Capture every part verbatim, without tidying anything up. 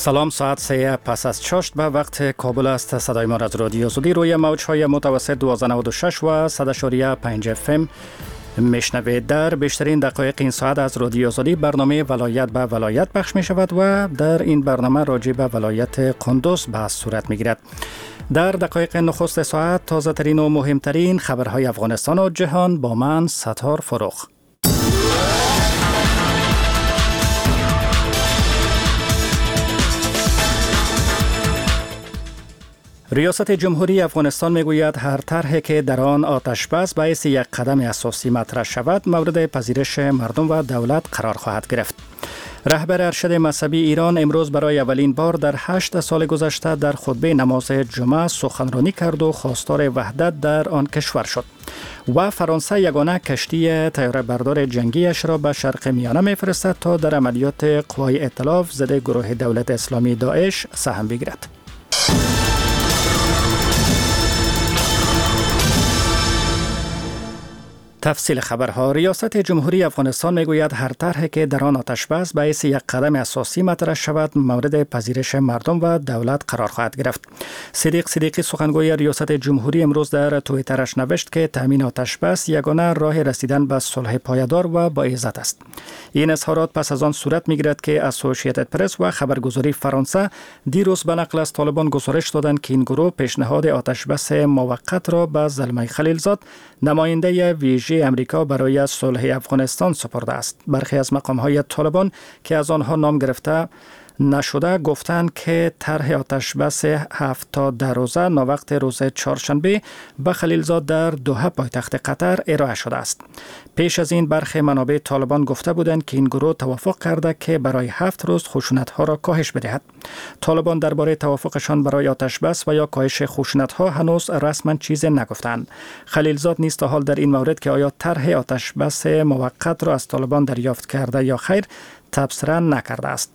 سلام، ساعت سه پس از چاشت به وقت کابل است. صدای ما از رادیو آزادی روی موج‌های متوسط دوازده نود و شش و صد و پنج اف ام میشنوید. در بیشترین دقایق این ساعت از رادیو آزادی برنامه ولایت به ولایت پخش می شود و در این برنامه راجع به ولایت قندوز بحث صورت می گیرد. در دقایق نخست ساعت تازه ترین و مهمترین خبرهای افغانستان و جهان با من ستار فروخ. ریاست جمهوری افغانستان میگوید هر طرحی که در آن آتش بس باعث یک قدم اساسی مطرح شود مورد پذیرش مردم و دولت قرار خواهد گرفت. رهبر ارشد مذهبی ایران امروز برای اولین بار در هشت سال گذشته در خطبه نماز جمعه سخنرانی کرد و خواستار وحدت در آن کشور شد. و فرانسه یگانه کشتی طیاره بردار جنگیش را به شرق میانه میفرستد تا در عملیات قوای ائتلاف ضد گروه دولت اسلامی داعش سهم بگیرد. تفصیل خبرها. ریاست جمهوری افغانستان میگوید هر طرحی که در آن آتش بس باعث یک قدم اساسی مطرح شود مورد پذیرش مردم و دولت قرار خواهد گرفت. صدیق صدیقی سخنگوی ریاست جمهوری امروز در توییترش نوشت که تامین آتش بس یگانه راه رسیدن به صلح پایدار و با عزت است. این اظهارات پس از آن صورت میگیرد که اسوسییتد پرس و خبرگزاری فرانسه دیروز به نقل از طالبان گزارش دادند که این گروه پیشنهاد آتش بس موقت را به زلمی خلیلزاد نماینده ویژه امریکا برای صلح افغانستان سپرده است. برخی از مقام‌های طالبان که از آنها نام گرفته نشده گفتند که طرح آتش بس هفت تا ده روزه ناوقت روز چهارشنبه به خلیلزاد در دوحه پایتخت قطر ارائه شده است. پیش از این برخی منابع طالبان گفته بودند که این گروه توافق کرده که برای هفت روز خشونت‌ها را کاهش بدهد. طالبان درباره توافقشان برای آتش بس و یا کاهش خشونت‌ها هنوز رسما چیزی نگفتند. خلیلزاد نیز تا حال در این مورد که آیا طرح آتش بس موقت را از طالبان دریافت کرده یا خیر تبصره نکرده است.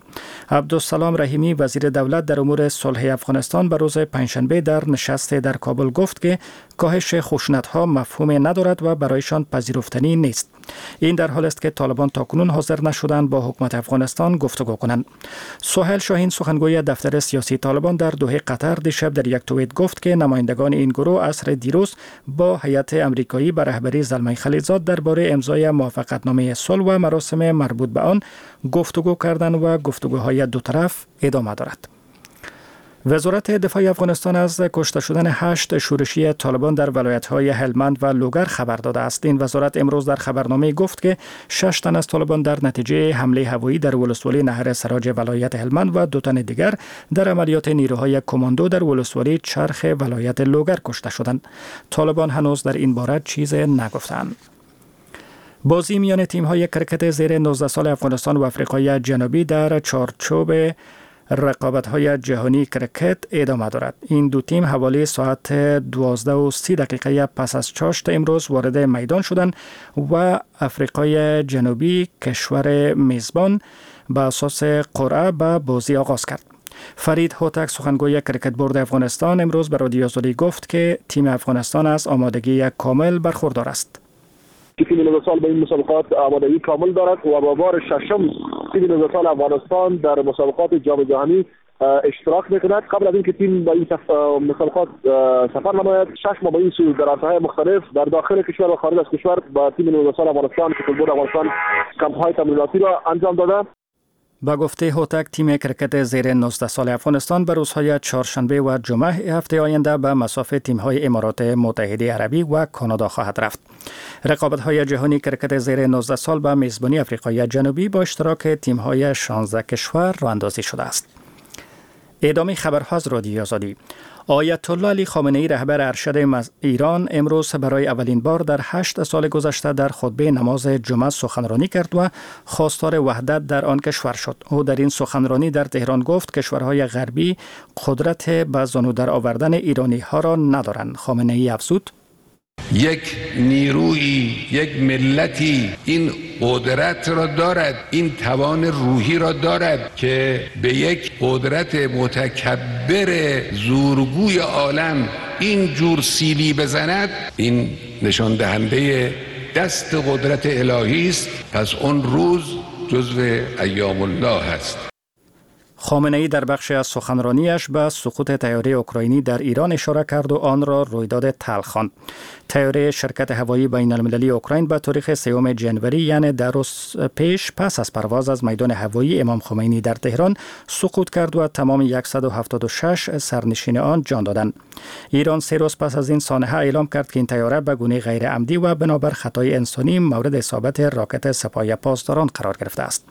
عبدالسلام رحیمی وزیر دولت در امور صلح افغانستان به روز پنجشنبه در نشست در کابل گفت که کاهش خشونت‌ها مفهوم ندارد و برایشان پذیرفتنی نیست. این در حال است که طالبان تاکنون حاضر نشدند با حکومت افغانستان گفتگو کنند. سهیل شاهین سخنگوی دفتر سیاسی طالبان در دوحه قطر دیشب در یک توییت گفت که نمایندگان این گروه عصر دیروز با هیئت امریکایی به رهبری زلمی خلیلزاد درباره امضای موافقتنامه صلح و مراسم مربوط به آن گفتگو کردند و گفتگوهای دو طرف ادامه دارد. وزارت دفاع افغانستان از کشته شدن هشت شورشی طالبان در ولایت‌های هلمند و لوگر خبر داده است. این وزارت امروز در خبرنامه گفت که شش تن از طالبان در نتیجه حمله هوایی در ولسوالی نهر سراج ولایت هلمند و دو تن دیگر در عملیات نیروهای کماندو در ولسوالی چرخ ولایت لوگر کشته شدند. طالبان هنوز در این باره چیز نگفتند. بازی میان تیم‌های کرکت زیر نوزده سال افغانستان و افریقای جنوبی در چارچوب رقابت‌های جهانی کرکت ادامه دارد. این دو تیم حوالی ساعت دوازده و سی دقیقه پس از چاشت امروز وارد میدان شدند و افریقای جنوبی کشور میزبان به اساس قرعه به بازی آغاز کرد. فرید هوتک سخنگوی کرکت بورد افغانستان امروز به رادیو آزادی گفت که تیم افغانستان از آمادگی کامل برخوردار است. تیم نوزده سال به این مسابقات آمادگی کامل دارد و با بار ششم تیم نوزده سال افغانستان در مسابقات جام جهانی اشتراک میکند. قبل از اینکه تیم به این مسابقات سفر نماید شش ماه به این سو در عرصه‌های مختلف در داخل کشور و خارج از کشور با تیم نوزده سال افغانستان که بورد افغانستان کمپ‌های تمریناتی را انجام داده. با گفته هوتک تیم کرکت زیر نوزده سال افغانستان به روزهای چهارشنبه و جمعه هفته آینده به مصاف تیم‌های امارات متحده عربی و کانادا خواهد رفت. رقابت‌های جهانی کرکت زیر نوزده سال به میزبانی افریقای جنوبی با اشتراک تیم‌های شانزده کشور راه اندازی شده است. ادامه خبرها از رادیو آزادی. آیت الله علی خامنه ای رهبر ارشد ایران امروز برای اولین بار در هشت سال گذشته در خطبه نماز جمعه سخنرانی کرد و خواستار وحدت در آن کشور شد. او در این سخنرانی در تهران گفت کشورهای غربی قدرت به زانو در آوردن ایرانی ها را ندارند. خامنه ای افزود یک نیرویی، یک ملتی این قدرت را دارد، این توان روحی را دارد که به یک قدرت متکبر زورگوی عالم این جور سیلی بزند. این نشان دهنده دست قدرت الهی است. پس اون روز جزو ایام الله است. خامنه‌ای در بخشی از سخنرانیش به سقوط طیاره اوکراینی در ایران اشاره کرد و آن را رویداد تلخ خواند. طیاره شرکت هوایی بین المللی اوکراین به تاریخ سوم ژانویه، یعنی در روز پیش، پس از پرواز از میدان هوایی امام خمینی در تهران سقوط کرد و تمام صد و هفتاد و شش سرنشین آن جان دادند. ایران سه روز پس از این سانحه اعلام کرد که این طیاره به گونه غیر عمدی و بنابر خطای انسانی مورد اصابت راکت سپاه پاسداران قرار گرفته است.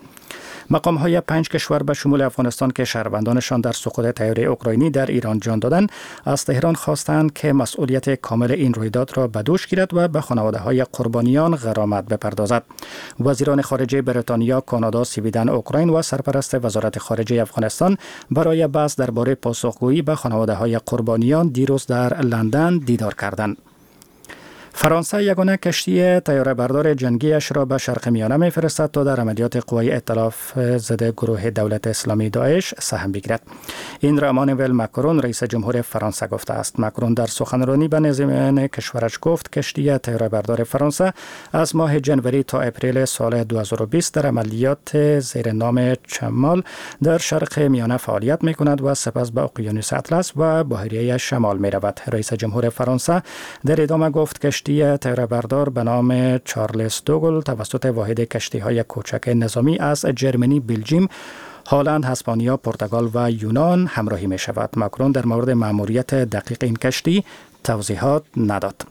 مقام های پنج کشور به شمول افغانستان که شهروندانشان در سقوط طیاره اوکراینی در ایران جان دادند، از تهران خواستند که مسئولیت کامل این رویداد را به دوش گیرد و به خانواده های قربانیان غرامت بپردازد. وزیران خارجه بریتانیا، کانادا، سوئدن، اوکراین و سرپرست وزارت خارجه افغانستان برای بحث درباره پاسخگویی به خانواده های قربانیان دیروز در لندن دیدار کردند. فرانسه یگانه کشتی طیاره بردار جنگیش را به شرق میانه میفرستد تا در عملیات قوای ائتلاف ضد گروه دولت اسلامی داعش سهم بگیرد. این را امانوئل مکرون رئیس جمهور فرانسه گفته است. مکرون در سخنرانی به نظامیان کشورش گفت کشتی طیاره بردار فرانسه از ماه ژانویه تا اپریل سال دو هزار و بیست در عملیات زیر نام چمال در شرق میانه فعالیت میکند و سپس به اقیانوس اطلس و بحیره شمال میرود. رئیس جمهور فرانسه در ادامه گفت کشتی طیاره بردار به نام چارلز دوگل توسط واحد کشتی‌های کوچک نظامی از جرمنی، بلژیم، هلند، هسپانیا، پرتغال و یونان همراهی می شود. مکرون در مورد مأموریت دقیق این کشتی توضیحات نداد.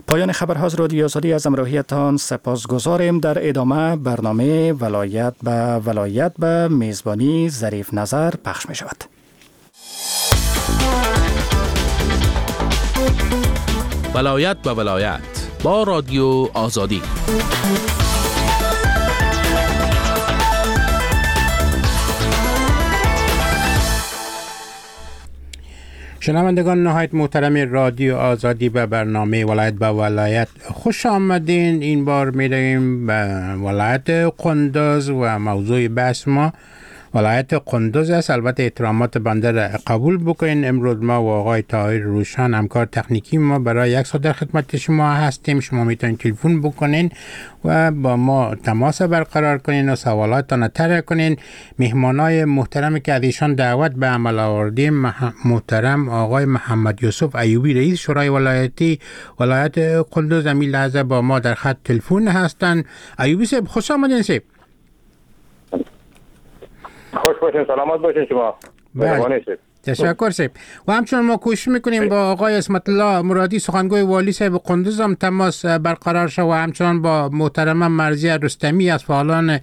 پایان خبرها از رادیو آزادی، از همراهیتان سپاسگزاریم. در ادامه برنامه ولایت به ولایت به میزبانی ظریف نظر پخش می شود. ولایت به ولایت با رادیو آزادی. شنوندگان نهایت محترم رادیو آزادی به برنامه ولایت به ولایت خوش آمدین. این بار می‌رویم به ولایت قندوز و موضوع بحث ما ولایت قندوز است. البته احترامات بنده را قبول بکنین. امروز ما و آقای طاهر روشن همکار تکنیکی ما برای یک ساعت در خدمت شما هستیم. شما میتونید تلفن بکنین و با ما تماس برقرار کنین و سوالاتتان طرح کنین. مهمانای محترم که از ایشان دعوت به عمل آوردیم، محترم آقای محمد یوسف ایوبی رئیس شورای ولایتی ولایت قندوز همین لحظه با ما در خط تلفن هستند. ایوبی صاحب خوش آمدین. صاحب خوش باشین، سلامت باشین شما. بله. تشکر صاحب. و همچنین ما کوشش میکنیم با آقای عصمت الله مرادی سخنگوی والی صاحب قندوز هم تماس برقرار شد و همچنان با محترمه مرضیه رستمی از فعالان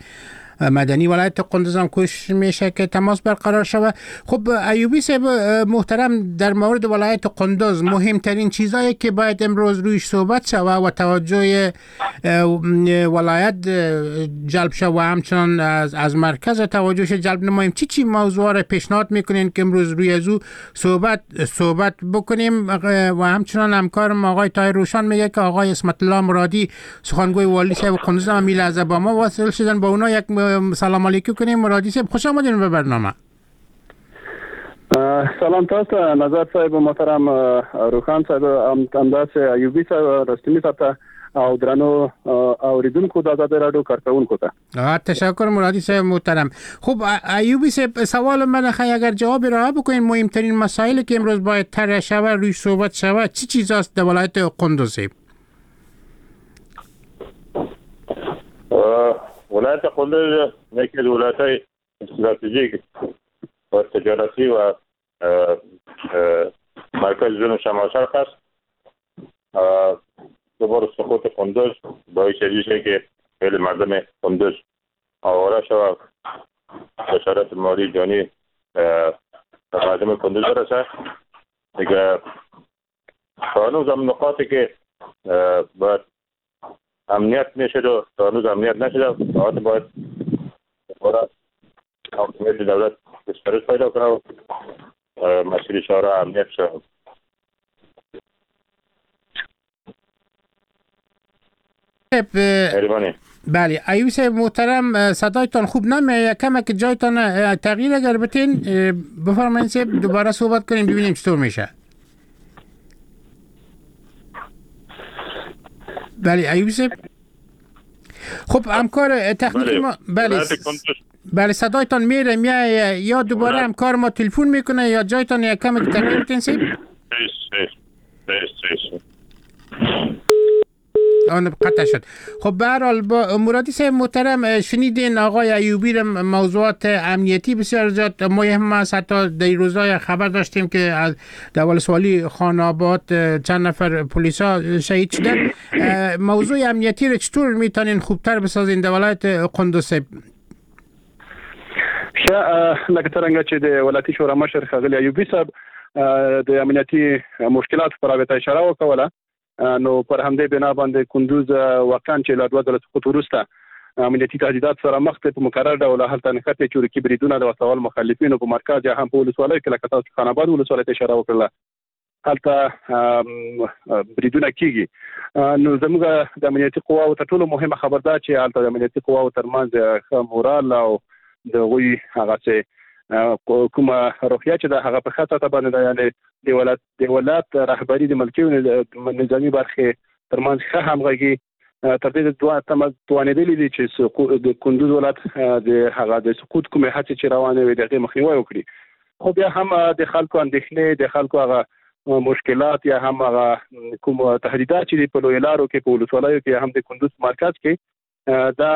مدنی ولایت قندوز هم کوشش میشه که تماس برقرار شود. خب ایوبی صاحب محترم، در مورد ولایت قندوز مهمترین چیزایی که باید امروز رویش صحبت شود و توجه ولایت جلب شود و همچنان از, از مرکز توجهش جلب نماییم، چی چی موضوع را پیشنهاد میکنین که امروز روی از او صحبت صحبت بکنیم؟ و همچنان همکارم آقای طاهر روشان میگه که آقای عصمت الله مرادی سخنگوی والی صاحب قندوز هم لحظه با ما واصل شدن، با اونا یک سلام علیکم کنیم. مرادی صاحب خوش آمدین به برنامه. سلام تاسو نظر صاحب محترم روخان صاحب، همداسې ایوبي صاحب، رستمی صاحب ته او درنو اوریدونکو د ازادي رادیو کارکوونکو ته. تشکر مرادی صاحب محترم. خب ایوبی صاحب، سوال من خیلی اگر جواب ارائه بکنین، مهمترین مسائلی که امروز باید طرح شود، روی صحبت شود، چی چیز است در ولایت قندوز؟ ولایت قندوز یکی از ولایت‌های استراتژیک و تجارتی و مرکز جنوب شمال شرق است. دوباره سقوط قندوز باعث میشه که خیلی مردم قندوز آواره شود، خسارت مالی جانی به مردم قندوز برسه. دیگه هنوز هم نقاطی که باید امنیت میشد و تا هنوز امنیت نشده، باید باید دوباره حاکمیت دولت گسترش پیدا کنه و مسیر شهرها امنیت شود. بله ایوب صاحب محترم، صدایتان خوب نمیاد، کم که جایتان تغییر اگر بتین بفرمایید صاحب، دوباره صحبت کنیم ببینیم چطور میشه. بله ایوب صاحب. خب همکار تکنیکی ما، بله بله صدایتان میره میایه، یا دوباره همکار ما تلفن میکنه یا جایتان یک کم تغییر تین صاحب. آن قطع شد. خب به هر حال با مرادی صاحب محترم، شنیدین آقای ایوبی را، موضوعات امنیتی بسیار زیاد مهم است. حتی در روزهای خبر داشتیم که از در ولسوالی خان آباد چند نفر پلیسا شهید شدن. موضوع امنیتی را چطور میتونین خوبتر بسازین در ولایت قندوز صاحب؟ ښه، لکه څرنګه چې د ولایتي شورا مشر ښاغلي ایوبي صاحب د امنیتي مشکلاتو په رابطه اشاره وکوله، نو پر همدې بنا باندې کندوز واقعا چې له دوه ځله سقوط وروسته امنیتي تهدیدات سره مخ دی، په مکرر ډول هلته نښتې چورکي بریدونه د وسلهوالو مخالفینو په مرکز یا هم په ولسوالیو کې، لکه تاسو خان آباد ولسوالۍ ته اشاره وکړله، هلته بریدونه کیږي. نو زموږ د امنیتي قواو تر ټولو مهمه خبر ده چې هلته د امنیتي قواو ترمنځ ښه مورال او د هغوی هغه چې کومه روحیه چې ده هغه په ښه سطح باندې ده، یعنې د ولایت د ولایت رهبري د ملکي او نظامي برخې ترمنځ ښه همغږي تر دې توانېدلي دي چې د کندوز ولایت د هغه د سقوط کومې هڅې چې روانې وې د هغې مخنیوی وکړي. خو بیا هم د خلکو اندېښنې، د خلکو هغه مشکلات یا هم هغه کوم تهدیدات چې دي په لویو لارو کې، په ولسوالیو کې، یا هم د کندوز مرکز کې، دا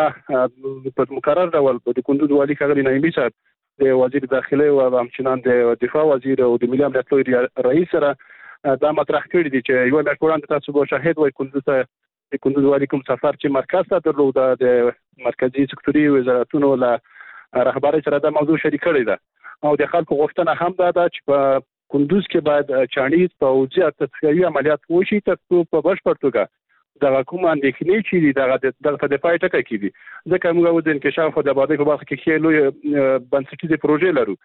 په مکرر ډول د کندوز والي ښاغلي نعیمي صاحب د وزیر داخله او همچنان د دفاع وزیر او د ملي امنیت لوی رئیس سره دا مطرح کړي دي چې یوه میاشت وړاندې تاسو به شاهد وئ کندوز ته د کندوز والي کوم سفر چې مرکز ته درلود، د مرکزي سکتوري وزارتونو له رهبرۍ سره دا موضوع شریک کړې ده. او د خلکو غوښتنه هم دا ده چې په کندوز کې باید چاڼیز پوځي او تصفیوي عملیات وشي ترڅو په بشپړ توګه دغه کوم اندېښنې چې دي دغه دغه ته د پای ټکی کېږي. ځکه موږ اوس د انکشاف او د ابادۍ په برخه کې ښې لویې بنسټیزې پروژې لرو،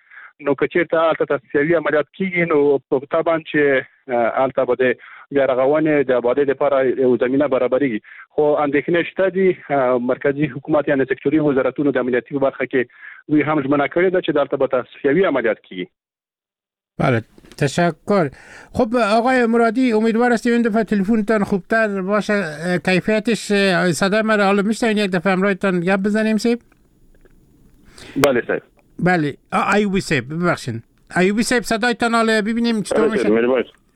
نو که چېرته هلته تصفیوي عملیات کېږي نو طبعا چې هلته به د بیا رغونې د ابادۍ لپاره یو زمینه برابرېږي. خو اندېښنې شته دي. مرکزي حکومت یعنې سکتوري وزارتونو د امنیتي په برخه کې دوی هم ژمنه کړې ده چې دلته به تصفیوي عملیات کېږي. بله تشکر. خب آقای مرادی امیدوار هستیم این دفعه تلفنتان خوبتر باشه، کیفیتش صدای مرا حالا میشنوین؟ یک دفعه همراهتان گپ بزنیم صاحب. بله صاحب. بله ایوبی صاحب ببخشین، ایوبی صاحب صدایتان حالا ببینیم چطور میشه.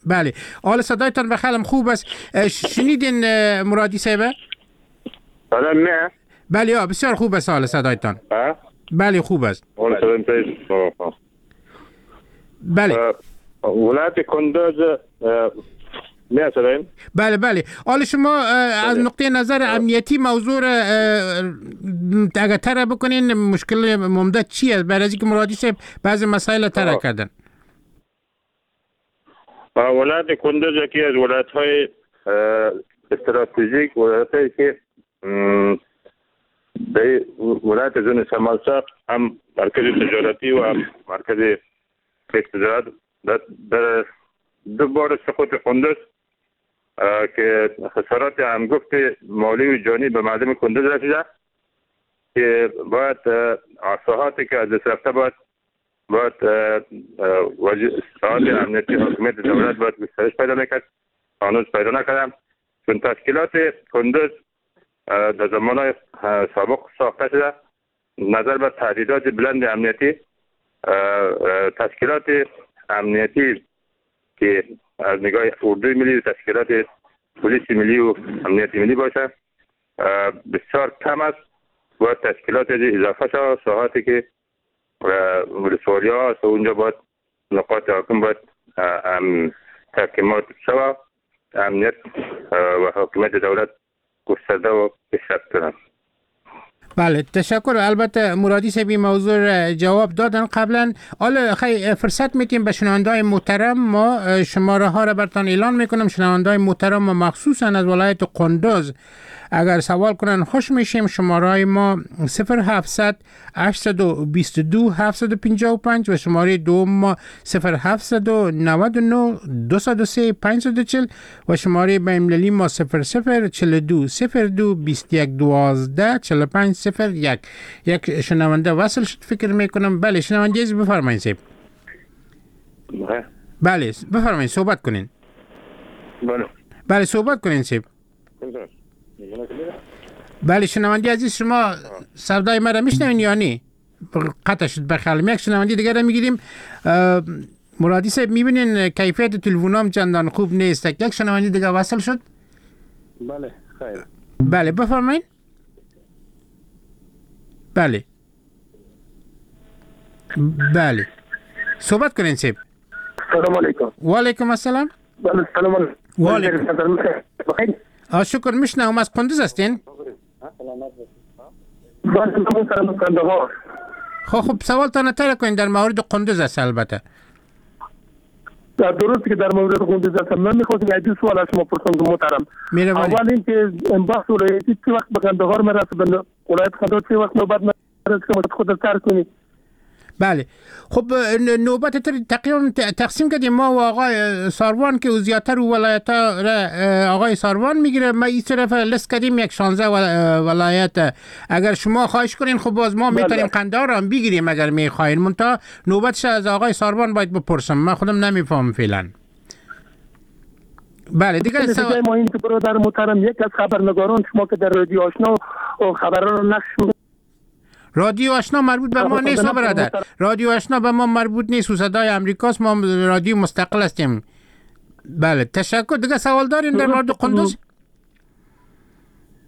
بله حالا صدایتان به خیالم خوب است. شنیدین مرادی صاحب؟ بله نه. بله بسیار خوب است حالا صدایتان. بله خوب است. بله ولایت کندوز می‌سازیم. بله بله. حالا شما از نقطه نظر امنیتی موضوع را اگر طرح بکنین مشکل عمده چی است؟ برای اینکه مرادی صاحب بعضی مسائل طرح کردن. ولایت کندوز یکی از ولایت‌های استراتژیک، ولایت‌هایی که به ولایت زون شمال شرق هم مرکز تجارتی و هم مرکز تجارت در دو بار سقوط کندوز که خسارات هنگفت مالی و جانی به مردم کندوز رسیده که باید ساحاتی که از دست رفته باید باید ساحات امنیتی حاکمیت دولت باید گسترش پیدا میکرد، هنوز پیدا نکردم، چون تشکیلات کندوز در زمان سابق ساخته شده نظر به تهدیدات بلند امنیتی تشکیلات امنیتی که از نگاه اردوی ملی و تشکیلات پلیس ملی و امنیت ملی باشه بسیار کم است. باید تشکیلات اضافه شود، ساحاتی که ولسوالی ها است اونجا باید نقاط حاکم باید تحکیمات شود، امنیت و حاکمیت دولت گسترده و پیشرفت کنند. بله تشکر. البته مرادی صاحب این موضوع جواب دادن قبلا. حالا خیلی فرصت میتیم به شنونده‌های محترم ما شماره ها را براتون اعلان میکنم. شنونده‌های محترم ما مخصوصا از ولایت قندوز اگر سوال کنن خوش میشیم. شماره های ما صفر هفتصد هشتصد و بیست و دو هفتصد و پنجاه و پنج و شماره دوم ما صفر هفتصد و نود و نه دویست و سه پانصد و چهل و شماره بین‌المللی ما صفر صفر چهل و دو صفر دو بیست و یک دوازده چهل و پنج صفر یک. یک شنونده وصل شد فکر میکنم. بله شنونده عزیز بفرمایید صاحب. بله بفرمایید صحبت کنین. بله بله صحبت کنین صاحب. بله شنونده عزیز شما صدای مرا میشنوین یا نه؟ قطع شد بخیالم. یک شنونده دیگر رو میگیریم. مرادی صاحب میبینین کیفیت تلفنام چندان خوب نیست. یک شنونده دیگه وصل شد. بله خیر. بله بفرمایید. بله بله صحبت کنین صاحب. سلام علیکم. و علیکم السلام. بله سلام علیکم. و علیکم. شکر میشنوم. از قندوز هستین؟ بله قندهار. خب خب سوالتان تر کنین در مورد قندوز است. البته درست که در مورد قندوز است. من میخواستم یک دو سوال از شما پرسم محترم. اول اینکه بحث ولایتی چه وقت به قندهار میرسه، به ولایت قندهار چه وقت نوبت میرسه که خود تر کنی؟ بله خب نوبت تقریبا تقسیم کردیم ما و آقای ساروان که زیادتر ولایت آقای ساروان میگیره. ما این طرف لست کردیم یک شانزده ولایت. اگر شما خواهش کنین خب باز ما میتونیم قندهار هم بگیریم اگر میخواین. منتها نوبتش از آقای ساروان باید بپرسم، من خودم نمیفهم فعلا. بله دیگه سوال ما این که برادر محترم یک از خبرنگاران شما که در رادیو آشنا خبران رو نقش رادیو آشنا مربوط به ما نیست برادر. رادیو آشنا به ما مربوط نیست و صدای امریکاست. ما رادیو مستقل هستیم. بله تشکر. دیگه سوال دارین در مورد قندوز؟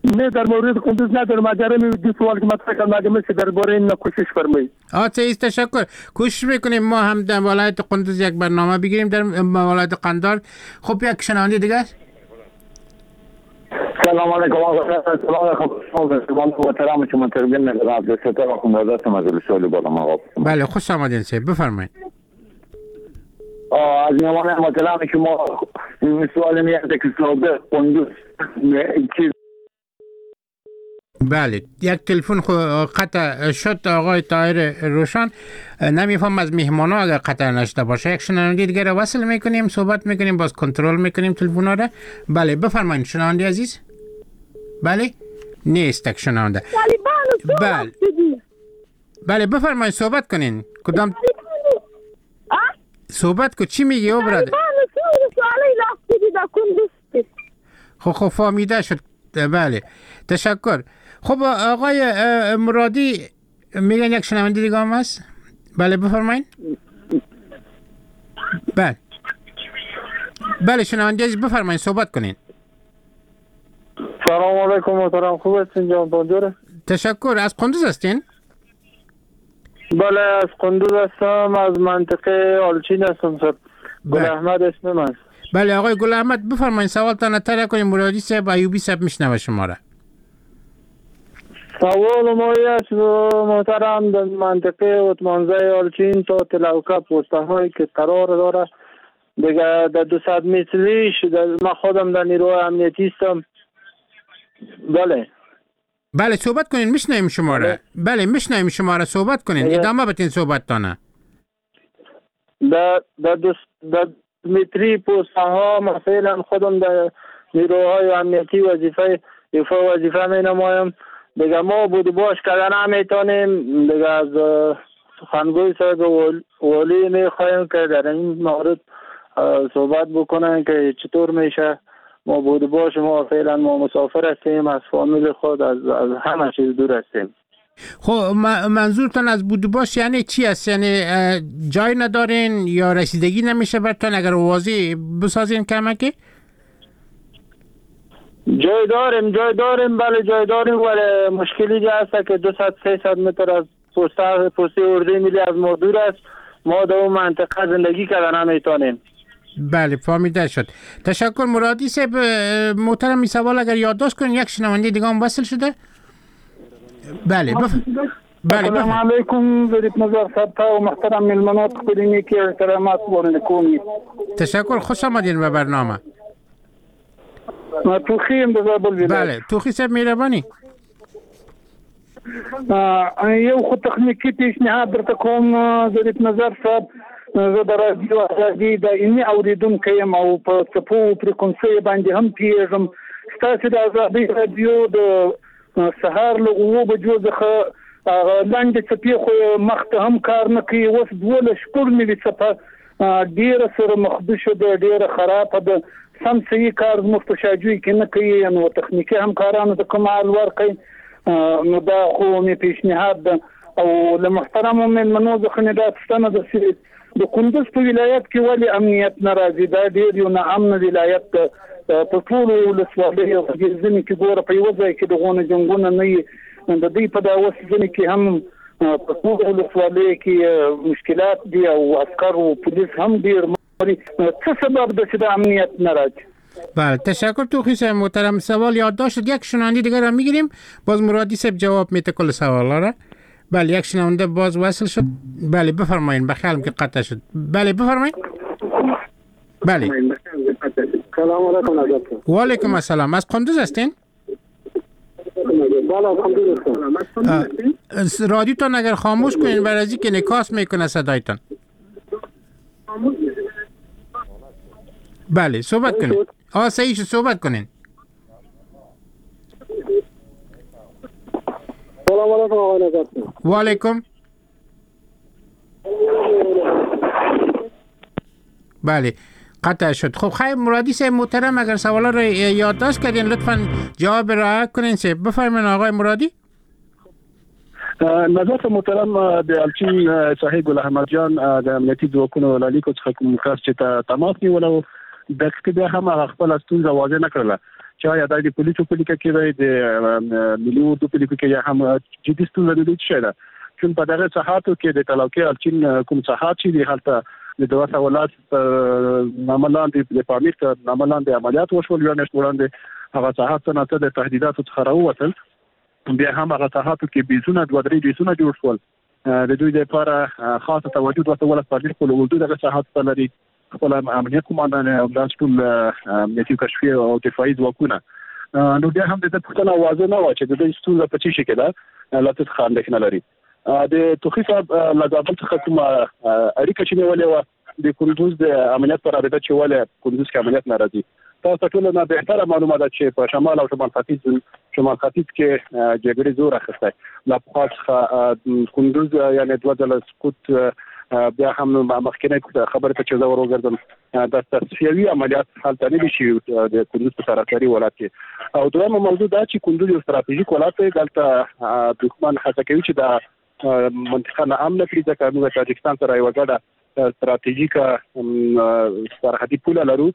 نه در مورد قندوز ندارم. اگر دو سوال که مطرح کردم اگر میشه درباره این کوشش فرمایید. آه تشکر. کوشش میکنیم ما هم در ولایت قندوز یک برنامه بگیریم در ولایت قندار. خب یک شنونده دیگه. سلام علیکم آقا. سلام علیکم محترم شما تربیت عبدالستار آخوندزاده هستم از ولسوالی بالا آقا. بله خوش آمدین سید بفرمایید. از میهمان محترم شما سوال میاد که سابق قندوز چیز. بله یک تلفن قطع شد آقای طاهر روشان. نمیفهم از مهمانا اگر قطع نشده باشه. یک شنونده دیگه رو وصل میکنیم، صحبت میکنیم، باز کنترل میکنیم تلفن را. بله بفرمایید شنونده عزیز. بله نیست یک شنونده. بله بله بفرمایید صحبت کنین. کدام صحبت کو چی میگی او برادر؟ خب خب فهمیده شد. بله تشکر. خب آقای مرادی میگن یک شنونده دیگه هم هست. بله بفرمایید. بله بله شنونده عزیز بفرمایید صحبت کنین. سلام علیکم محترم، خوب هستین جان؟ بانجوره. تشکر. از قندوز هستین؟ بله از قندوز هستم، از منطقه آلچین هستم صاحب. گل احمد اسمم است. بله آقای گل احمد بفرمایید سوالتان طرح کنیم. مرادی صاحب ایوبی صاحب میشنوه شما را. سوال ما است محترم در منطقه اتمانزه آلچین تا تلوکه پوسته هایی که قرار داره دیگه در دویست متریش ما خودم در نیروی امنیتی هستم. بله بله صحبت کنین میشنویم شما را. بله میشنویم شما را، صحبت کنین، ادامه بدین صحبتتان. در در در متری پوسته ها ما فعلا خودم در نیروهای امنیتی وظیفه ایفا وظیفه می نمایم. دیگه ما بود باش کردن نمیتونیم. دیگه از سخنگوی صاحب والی می خواهیم که در این مورد صحبت بکنن که چطور میشه ما بود باش. ما فعلا ما مسافر هستیم، از فامیل خود از, از همه چیز دور هستیم. خب منظورتان از بود باش یعنی چی است؟ یعنی جای ندارین یا رسیدگی نمیشه برتان؟ اگر واضح بسازین کمکی. جای داریم، جای داریم، بله جای داریم، ولی مشکلی هست که دویست سیصد متر از پوسته پوسته اردوی ملی از ما دور است. ما در اون منطقه زندگی کردن نمیتونیم. بله فهمیده شد. تشکر مرادی صاحب محترم. این سوال اگر یادداشت کنین یک شنونده دیگه هم وصل شده. بله بف... بله السلام علیکم ظریف نظر صاحب و محترم میلمنات خپلې نیکې احترامات وړاندې کوم. تشکر، خوش آمدین به برنامه. ما توخی یم د زابل ولایت. بله توخی صاحب مهرباني. یو خو تخنیکي پیشنهاد درته کوم ظریف نظر صاحب. زه د رادیو ازادي دایمي اورېدونکی یم او په څپو فریکونسیو باندې هم پوهېږم. ستاسې د ازادي رادیو د سهار له اوو بجو څخه هغه لنډې څپې خو مخ ته هم کار نه کوي. اوس دولس شپږ نوي څپه ډېره سره مخدوشه ده، ډېره خرابه ده، سم صحیح کار زموږ په شاجوی کې نه کوي. نو تخنیکي همکارانو ته کوم حال ورکړئ، نو دا خو مې پیشنهاد ده. او له محترمو مېلمنو څخه مې دا پوښتنه ده چې د کندوز په ولایت کې ولې امنیت نه راځي؟ دا ډېر یو ناامنه ولایت ده، په ټولو ولسوالیو کې ځینې کې ګوره په یوه ځای کې دغونه جنګونه نه وي، د دوی په دا اوس ځینې کې هم په ټولو ولسوالیو کې مشکلات دي او عسکر او پولیس هم ډېر مري. څه سبب ده چې دا امنیت نه راځي؟ بله، تشکر توخی صاحب محترم. سوال یادداشت شد. یک شنونده دیگر را میگیریم، باز مرادی صاحب جواب میده کل سوال را. بله، یک شنونده باز وصل شد. بله بفرمایین، بخیالم که قطع شد. بله بفرمایین. بله. سلام علیکم. و علیکم السلام. از قندوز هستین؟ بله از قندوز هستم. رادیوتان اگر خاموش کنین برای که انعکاس میکنه صدایتان. بله صحبت کنین. آه صحیح شد، صحبت کنین. سلام علیکم آقای نظر. و علیکم. بله قطع شد. خب خیر مرادی صاحب محترم، اگر سوالا رو یادداشت کردین لطفاً جواب رعایت کنین. صاحب بفرمایین آقای مرادی. نظر محترم، د الچین صاحب ګل احمد جان د امنیتي ځواکونو له لیکو څخه کوم کس چې تماس نیولی و، دقیق بیا هم هغه خپله ستونزه واضح نه کړله چې آیا دا د پولیسو په لیکه کې دی، د ملي اردو په لیکو کې، یا هم جدي ستونزه د دوی څه شی ده. چون په دغه ساحاتو کې د تلاوکې الچین کوم ساحات چې دي، هلته د دوه سوه لس تر نامه لاندې د پامیر تر نامه لاندې عملیات وشول. یوه میاشت وړاندې هغه ساحات څه ناڅه د تهدیداتو څخه راووتل. بیا هم هغه ساحاتو کې بیزونه، دوه درې بیزونه جوړ شول. د دوی لپاره خاصه توجه دوه سوه لس پامیر خپل اردو دغه ساحاتو ته لري، خپل امنیت قوماندان او داسې ټول امنیتي کشفي او دفاعي ځواکونه. نو بیا هم د ده پوښتنه واضح نه وه چې د دوی ستونزه په څه شي کې ده، له څه څخه اندېښنه لري. د توخي صاحب له زابل څخه کومه اړیکه چې نیولې وه د کندوز د امنیت په رابطه چې ولې کندوز کې امنیت نه راځي، تاسو ته ټوله نه بهتره معلومه ده چې په شمال او شمال ختیځ شمال ختیځ کې جګړې زور اخیستی. له پخوا څخه کندوز یعنې دوه ځله سقوط، بیا هم مخکینۍ خبرې ته چې زه ور وګرځم، د تصفیوي عملیات هلته نه دي شوي د کندوز په سراسري ولایت کې. او دویمه موضوع دا چې کندوز یو ستراتیژیک ولایت دی، دلته دښمن هڅه کوي چې دا منطقه ناامنه کړي، ځکه موږ تاجکستان سره یوه ګډه ستراتیژیکه سرحدي پوله لرو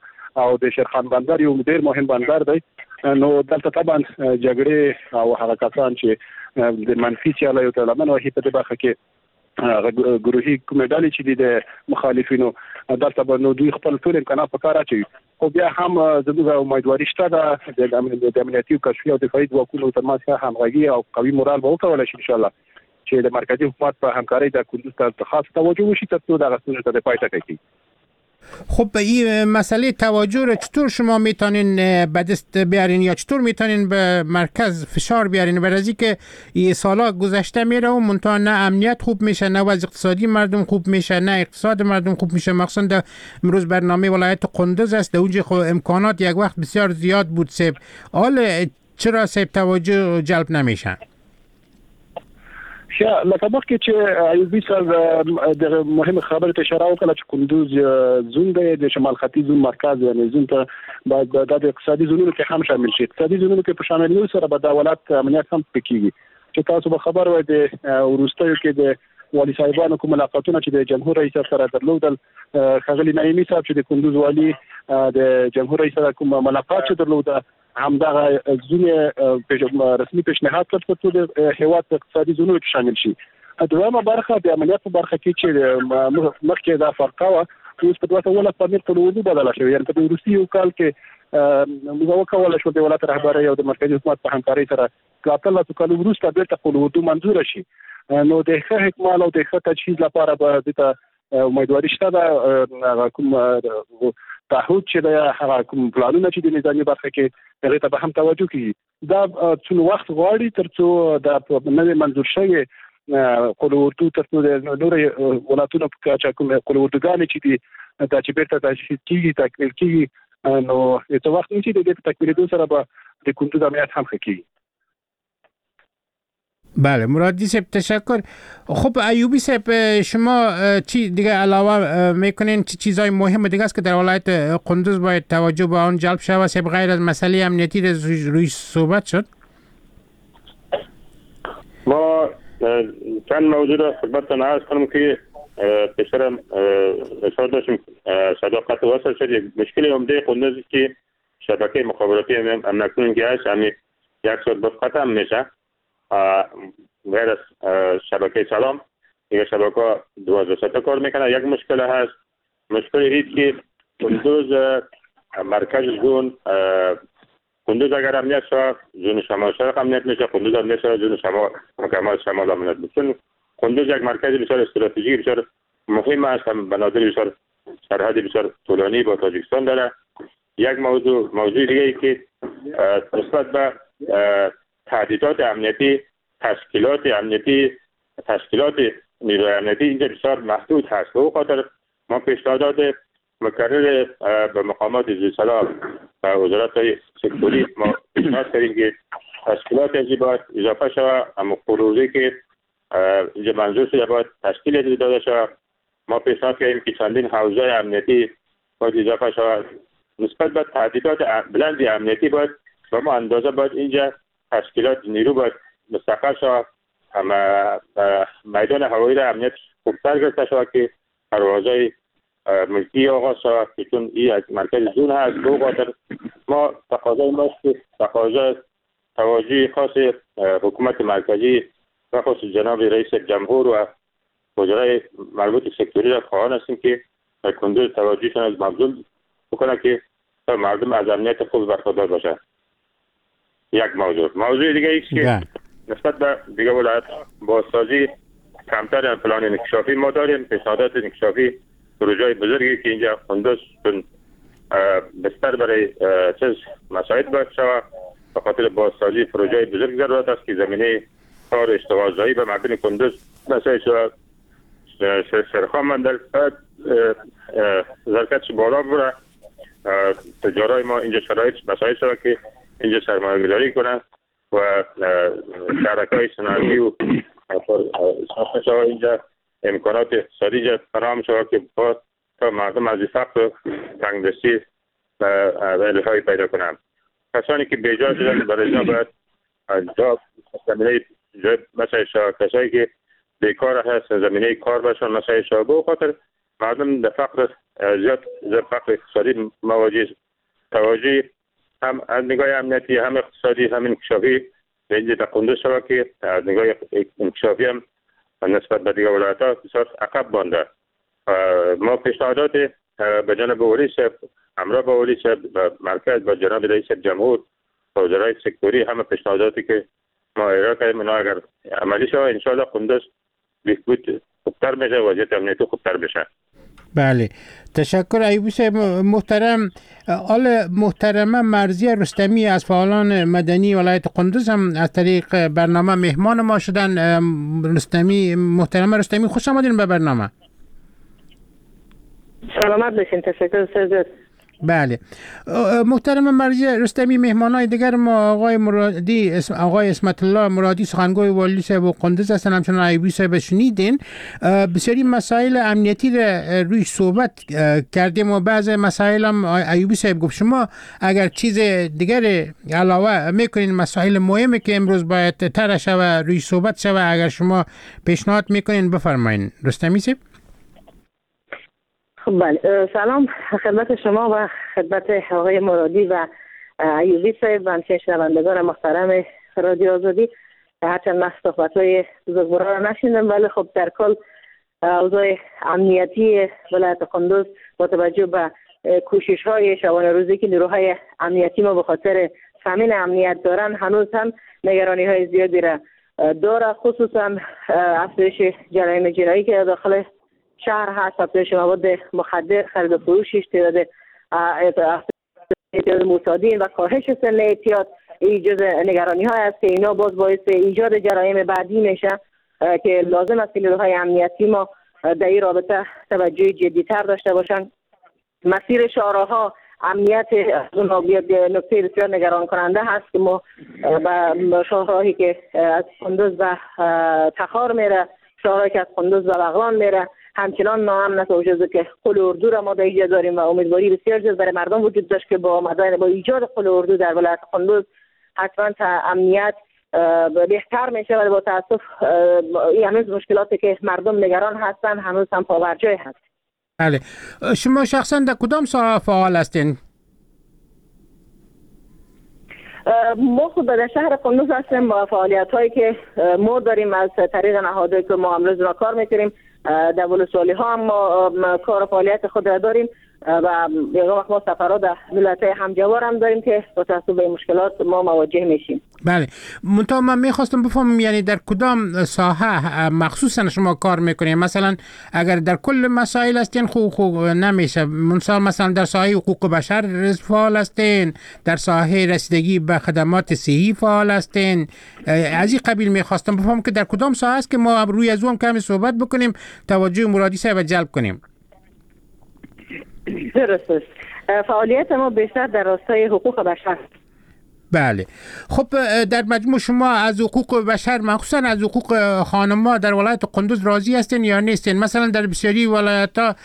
او د شیرخان بندر یو ډېر مهم بندر دی. نو دلته طبعا جګړې او هغه کسان چې د منفي سیالیو ته لمن وهي په دې برخه کې هغه ګروهي کومې ډلې چې دي د مخالفینو، دلته به نو دوی خپل ټول امکانات په کار اچوي. خو بیا هم زموږ امیدواري شته ده د امنیتي او کشفي او دفاعي ځواکونو ترمنځ ښه همغږي او قوي مورال به وکولای شي انشاءالله چې د مرکزي حکومت په همکارۍ د کندوز ته خاص توجه وشي ترڅو دغه ستونزې ته د پای ټکی کېږي. خب به این مسئله توجه رو چطور شما میتونین به دست بیارین یا چطور میتونین به مرکز فشار بیارین؟ برای که این سالا گذشته میره و منتها نه امنیت خوب میشه، نه وضع اقتصادی مردم خوب میشه، نه اقتصاد مردم خوب میشه. مخصوصا در امروز برنامه ولایت قندوز است، در اونجا خب امکانات یک وقت بسیار زیاد بود. سیب حال چرا سیب توجه جلب نمیشه؟ ښه، لکه مخکې چې ایوبي صاحب دغه مهمه خبرې ته اشاره وکړه چې کندوز زون دی، د شمال ختیځ زون مرکز، یعنې زون ته باید دا د اقتصادي زونونو کې هم شامل شي. اقتصادي زونونو کې په شاملېدو سره به دا ولایت امنیت هم پکې کېږي. چې تاسو به خبر وئ د وروستیو کې د والي صاحبانو کوم ملاقاتونه چې د جمهور رئیس سره درلودل، ښاغلي نعیمي صاحب چې د کندوز والي د جمهور رئیس سره کوم ملاقات چې درلوده، همدغه زون رسمي پیشنهاد کړ ترڅو د هېواد په اقتصادي زونونو کې شامل شي. دویمه برخه د امنیت په برخه کې چې مخکې دا فرقه وه، اوس په دوه سوه اوولس پامیر قول اردو بدله شوې. یعنې په دې وروستي یو کال کې موږ وکولای شو د ولایت رهبرۍ او د مرکزي حکومت په همکارۍ سره له اتلسو کالو وروسته بېرته قول اردو منظوره شي. نو د ښه اکمال او د ښه تجهیز لپاره به دې ته امیدواري شته ده. هغه کوم تعهد چې دی، هغه کوم پلانونه چې د نظامي برخه کې هغې ته به هم توجه کېږي. دا څون وخت غواړي ترڅو دا نوې منظور شوې قول اردو ترڅو د نورو ولایتونو په کچه کوم قول اردوګانې چې دي دا چې بېرته تجهیز کېږي، تکمیل کېږي، نو یو څه وخت نیسي. د دې په تکمیلېدو سره به د کندوز امنیت هم ښه کېږي. بله مرادی صاحب تشکر. خب ایوبی صاحب شما چی دیگه علاوه میکنین؟ چه چیزای مهم دیگه است که در ولایت قندوز باید توجه به آن جلب شود صاحب غیر از مسئله امنیتی روی صحبت شد؟ ما چند موضوع را خدمتتان عرض کنم که پیشترم اشاره داشتیم، صداقت وصل شد. یک مشکل عمده قندوز که شبکه مخابراتی هم اکنون که هست همی یک ساعت باز قطع میشه، غیر از شبکه سلام دیگه شبکه ها دوازده ساعته کار میکنه. یک مشکل هست، مشکل هیچ که قندوز مرکز زون، قندوز اگر امنیت شود زون شمال شرق امنیت میشه، قندوز امنیت شود زون شمال مکمل شمال امنیت میشه. چون قندوز یک مرکز بسیار استراتژیک بسیار مهم است، هم بنادر بسیار سرحد بسیار طولانی با تاجیکستان داره. یک موضوع موضوع دیگه ای که نسبت به تهدیدات امنیتی، تشکیلات امنیتی، تشکیلات نیروی امنیتی اینجا بسیار محدود هست. به او خاطر ما پیشنهادات مکرر به مقامات ذی‌صلاح و وزارت سکتوری ما پیشنهاد کردیم که تشکیلات ازی باید اضافه شود، اما پروژه که اینجا منظور شده باید تشکیل داده شود. ما پیشنهاد کردیم که چندین حوزه امنیتی باید اضافه شود. نسبت به تهدیدات بلند امنیتی باید به ما اندازه باید اینجا تشکیلات نیرو باید مستقر شود، اما میدان هوایی را امنیت خوبتر گرفته شود که پروازهای ملکی آغاز شود که چون این از مرکز زون هست. به خاطر ما تقاضای ما تقاضا توجه خاص حکومت مرکزی و خاص جناب رئیس جمهور و وزرای مربوط سکتوری را خواهان هستیم که در کندوز توجهشان از مبذول بکنه که مردم از امنیت خوب برخوردار باشند. یک موضوع. موضوع دیگه ایست که نسبت به دیگه ولایت بازسازی کمتر پلان انکشافی ما داریم، پیشنهادات انکشافی پروژه بزرگی که اینجا قندوز چون بستر برای چیز مساعد باید شود، به خاطر بازسازی پروژه بزرگ ضرورت است که زمینه کار اشتغالزایی به مردم قندوز مساعد شود. شرخان مندل ظرفیتش بالا بره، تجارای ما اینجا شرایط مساعد شود که اینجا سرمایه گذاری کنند و شهرک‌های صنعتی و ساخته شود، اینجا امکانات اقتصادی اینجا فراهم شود که با تا مردم از فقر و تنگدستی و رهایی پیدا کنند. کسانی که بیجا شدن برای اینا باید جا زمینه جای مساعد شود، کسانی که بیکار هست زمینه کار باشن مساعد شود. به خاطر مردم در فقر زیاد در فقر اقتصادی مواجه توجه هم از نگاه امنیتی هم اقتصادی هم انکشافی به اینجا در قندوز شود که از نگاه انکشافی هم نسبت به دیگر ولایت‌ها بسیار عقب مانده. ما پیشنهادات به جانب ولی صاحب، همراه با ولی صاحب مرکز با جناب رئیس جمهور و وزرای سکتوری همه پیشنهاداتی که ما ارائه کردیم اینا اگر عملی شود انشاءالله قندوز بهبود خوبتر میشه، وضعیت امنیتی خوبتر میشه. بله تشکر ایوبی صاحب محترم. آل محترمه مرضیه رستمی از فعالان مدنی ولایت قندوز هم از طریق برنامه مهمان ما شدن. رستمی محترمه رستمی خوش آمدین به برنامه. سلامت باشین، تشکر سرزد. بله محترم مرضیه رستمی، مهمانای دیگر ما آقای مرادی، آقای عصمت الله مرادی سخنگوی والی صاحب و قندوز هستن، همچنان ایوبی صاحب شنیدین. بسیاری مسائل امنیتی را روی صحبت کردیم و بعض مسائل هم ایوبی صاحب گفت. شما اگر چیز دیگر علاوه میکنین، مسائل مهمی که امروز باید طرح شود روی صحبت شود، اگر شما پیشنهاد میکنین بفرمایین. رستمی صاحب. بله سلام خدمت شما و خدمت آقای مرادی و ایوبی صاحب و همچنین شنوندگان محترم رادیو آزادی. هرچند من صحبت‌های بزرگواران را نشنیدم، ولی خب در کل اوضاع امنیتی ولایت قندوز با توجه به کوشش‌های شبانه روزی که نیروهای امنیتی ما به خاطر تامین امنیت دارن، هنوز هم نگرانی‌های زیادی را داره، خصوصا افزایش جرایم جنایی که داخل شهر هست، افزایش مواد مخدر، خرید و فروشش، تعداد اعتیاد معتادین و کاهش سن اعتیاد، این جز نگرانی های است که اینا باز باعث ایجاد جرایم بعدی میشه که لازم است که نیروهای امنیتی ما در این رابطه توجه جدیتر داشته باشند. مسیر شهرها امنیت از اونها نکته بسیار نگران کننده هست که ما به شهرهایی که از قندوز و تخار میره، شهرهایی که از قندوز و بغلان میره، همچنان ناامن است. وجود که قل اردو را ما در اینجا داریم و امیدواری بسیار زیاد برای مردم وجود داشت که با آمدن با ایجاد قل اردو در ولایت قندوز حتما تا امنیت بهتر میشه، ولی با تاسف هنوز مشکلاتی که مردم نگران هستن هنوز هم پابرجای هست. بله، شما شخصا در کدام ساحه فعال هستین؟ ما خود در شهر قندوز هستیم با فعالیت هایی که ما داریم از طریق نهادهایی که ما امروز را کار میکنیم. در ولسوالی ها هم ما کار و فعالیت خود را داریم و یک وقت ما سفرها در ولایت همجوار هم داریم که با توجه به مشکلات ما مواجه میشیم. بله، منتها من میخواستم بفهمم یعنی در کدام ساحه مخصوصا شما کار میکنید؟ مثلا اگر در کل مسائل هستین خو خو نمیشه، مثلا مثلا در ساحه حقوق بشر فعال هستین، در ساحه رسیدگی به خدمات صحی فعال هستین، از این قبیل میخواستم بفهمم که در کدام ساحه است که ما روی از اون کمی صحبت بکنیم، توجه مرادی صاحب جلب کنیم. درست است. فعالیت ما بیشتر در راستای حقوق بشر. بله، خب در مجموع شما از حقوق بشر مخصوصا از حقوق خانم‌ها در ولایت قندوز راضی هستین یا نیستین؟ مثلا در بسیاری ولایت‌ها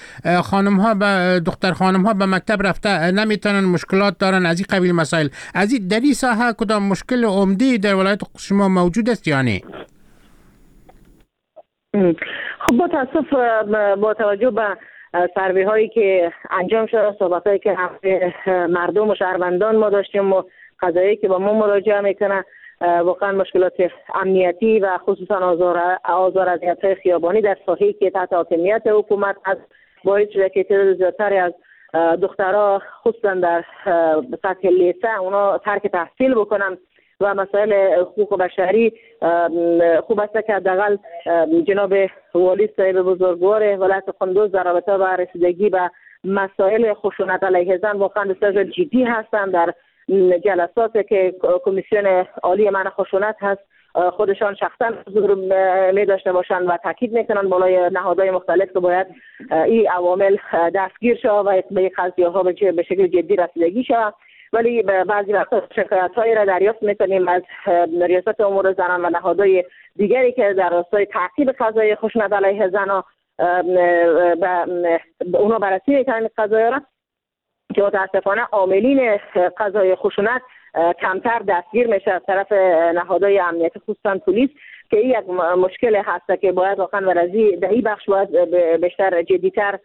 خانم‌ها به دختر خانم‌ها به مکتب رفته نمیتونن، مشکلات دارن، از این قبیل مسائل. از این در این ساحه کدام مشکل عمده در ولایت شما موجود است یا نه؟ خب با تاسف با توجه به سروی هایی که انجام شده، صحبت هایی که مردم و شهروندان ما داشتیم و قضایی که با ما مراجعه میکنه، واقعا مشکلات امنیتی و خصوصا آزار آزار اذیت های خیابانی در ساحه‌ای که تحت حاکمیت حکومت هست باعث شده که تعداد زیادتری از دخترها خصوصا در سطح لیسه اونا ترک تحصیل بکنن و مسائل حقوق بشری. خوب است که حداقل جناب والی صاحب بزرگوار ولایت قندوز در رابطه با رسیدگی به مسائل خشونت علیه زن واقعا بسیار جدی هستند. در جلسات که کمیسیون عالی منع خشونت هست خودشان شخصا حضور می داشته باشند و تاکید میکنن بالای نهادهای مختلف که باید این عوامل دستگیر شود و به قضیه ها به شکل جدی رسیدگی شود. ولی بعضی وقتا شکایت‌هایی را دریافت می‌کنیم از ریاست امور زنان و نهادهای دیگری که در راستای تعقیب قضایای خشونت علیه زنان اونا بررسی می‌کنن قضایا را، که متاسفانه عاملین قضای خشونت کمتر دستگیر میشه از طرف نهادهای امنیتی خصوصا پلیس، که این یک مشکل هست که باید واقعا ورزی در این بخش باید بیشتر جدی‌تر